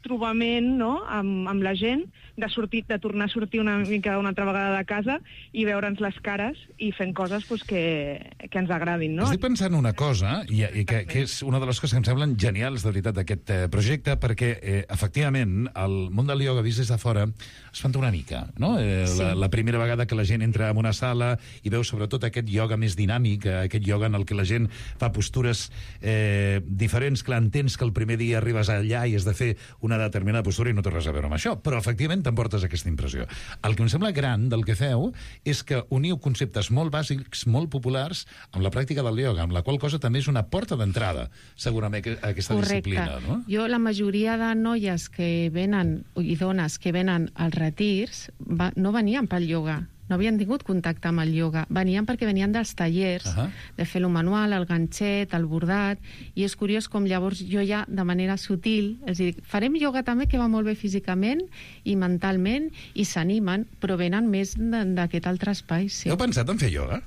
Speaker 9: trobament, no?, amb, amb la gent, de, sortir, de tornar a sortir una mica una altra vegada de casa i veure'ns les cares i fent coses pues, que, que ens agradin, no?
Speaker 2: Estic pensant una cosa, i, i que, que és una de les coses que em semblen genials, de veritat, d'aquest eh, projecte, perquè, eh, efectivament, el món del ioga vist des de fora espanta una mica, no? Eh, sí. la, la primera vegada que la gent entra en una sala i veu sobretot aquest ioga més dinàmic, aquest ioga en el que la gent fa postures eh, diferents, clar, entens que el primer dia arribes allà i has de fer una determinada postura i no té res a veure amb això, però efectivament t'emportes aquesta impressió. El que em sembla gran del que feu és que uniu conceptes molt bàsics, molt populars, amb la pràctica del ioga, amb la qual cosa també és una porta d'entrada, segurament, a aquesta
Speaker 8: Correcte.
Speaker 2: disciplina, no?
Speaker 8: Jo, la majoria de noies que venen, i dones que venen als retirs, va, no venien pel ioga, no havien tingut contacte amb el ioga. Venien perquè venien dels tallers, uh -huh. de fer-lo manual, el ganxet, el bordat, i és curiós com llavors jo ja, de manera sutil, és a dir, farem ioga també, que va molt bé físicament i mentalment, i s'animen, però venen més d'aquest altre espai. Sí.
Speaker 2: Heu pensat en fer ioga?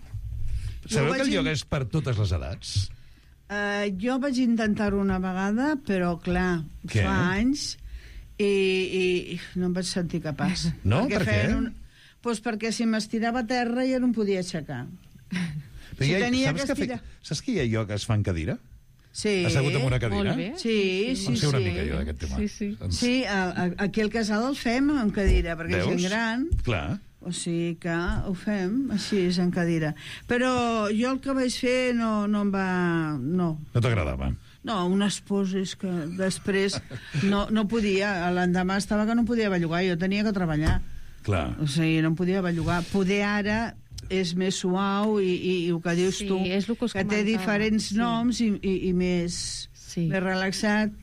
Speaker 2: Sabeu que el
Speaker 3: in...
Speaker 2: ioga és per totes les edats?
Speaker 3: Uh, jo vaig intentar-ho una vegada, però, clar,
Speaker 2: què?
Speaker 3: fa anys, i, i no em vaig sentir capaç.
Speaker 2: No? Per què?
Speaker 3: Un... Pues perquè si m'estirava a terra ja no em podia aixecar.
Speaker 2: Però si ja, tenia saps, que estirar... fe... saps que hi ha ioga que es fa en cadira?
Speaker 3: Sí.
Speaker 2: Assegut en una cadira?
Speaker 8: Molt bé.
Speaker 3: Sí, sí,
Speaker 2: em
Speaker 3: sí.
Speaker 2: sé una
Speaker 3: sí.
Speaker 2: mica jo d'aquest tema.
Speaker 8: Sí, sí.
Speaker 2: Ens...
Speaker 3: Sí, a, a, aquí al casal el fem en cadira, perquè
Speaker 2: Veus?
Speaker 3: és gent gran.
Speaker 2: Clar.
Speaker 3: O sigui que ho fem així, en cadira. Però jo el que vaig fer no, no em va... No.
Speaker 2: No t'agradava?
Speaker 3: No, unes poses que després no, no podia. L'endemà estava que no podia bellugar, jo tenia que treballar.
Speaker 2: Clar.
Speaker 3: O sigui, no em podia bellugar. Poder ara és més suau i, i, i el que dius
Speaker 8: Sí,
Speaker 3: tu,
Speaker 8: és el que us
Speaker 3: que té
Speaker 8: comentava,
Speaker 3: diferents
Speaker 8: sí.
Speaker 3: noms i, i, i més,
Speaker 8: Sí.
Speaker 3: més relaxat.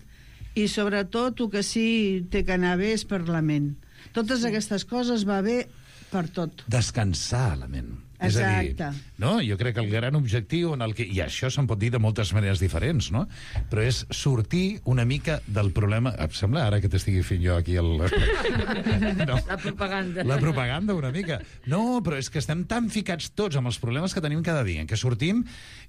Speaker 3: I sobretot el que sí té que anar bé és per la ment. Totes sí. aquestes coses va bé per tot.
Speaker 2: Descansar la ment.
Speaker 3: Exacte.
Speaker 2: És a dir, no? Jo crec que el gran objectiu en el que... I això se'n pot dir de moltes maneres diferents, no? Però és sortir una mica del problema... Em sembla ara que t'estigui fent jo aquí el...
Speaker 5: No. La propaganda.
Speaker 2: La propaganda, una mica. No, però és que estem tan ficats tots amb els problemes que tenim cada dia, en què sortim...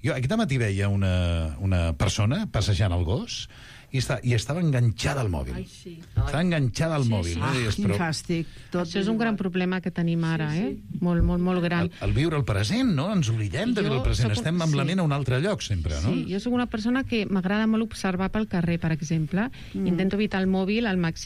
Speaker 2: Jo aquest matí veia una, una persona passejant el gos i, està, i estava enganxada al mòbil.
Speaker 5: Ai, sí.
Speaker 2: Estava enganxada al
Speaker 5: Sí,
Speaker 2: mòbil.
Speaker 5: sí.
Speaker 2: No?
Speaker 3: Ah,
Speaker 2: Deies,
Speaker 3: quin
Speaker 2: però...
Speaker 3: fàstic. Tot
Speaker 8: Això és un gran problema que tenim ara,
Speaker 5: Sí, sí.
Speaker 8: eh? Molt, molt, molt gran.
Speaker 2: El, el viure el present, no? Ens oblidem de
Speaker 8: Jo
Speaker 2: viure el present.
Speaker 8: soc un-
Speaker 2: Estem amb la
Speaker 8: sí.
Speaker 2: ment a un altre lloc, sempre, no?
Speaker 8: Sí, jo sóc una persona que m'agrada molt observar pel carrer, per exemple. Mm. Intento evitar el mòbil al màxim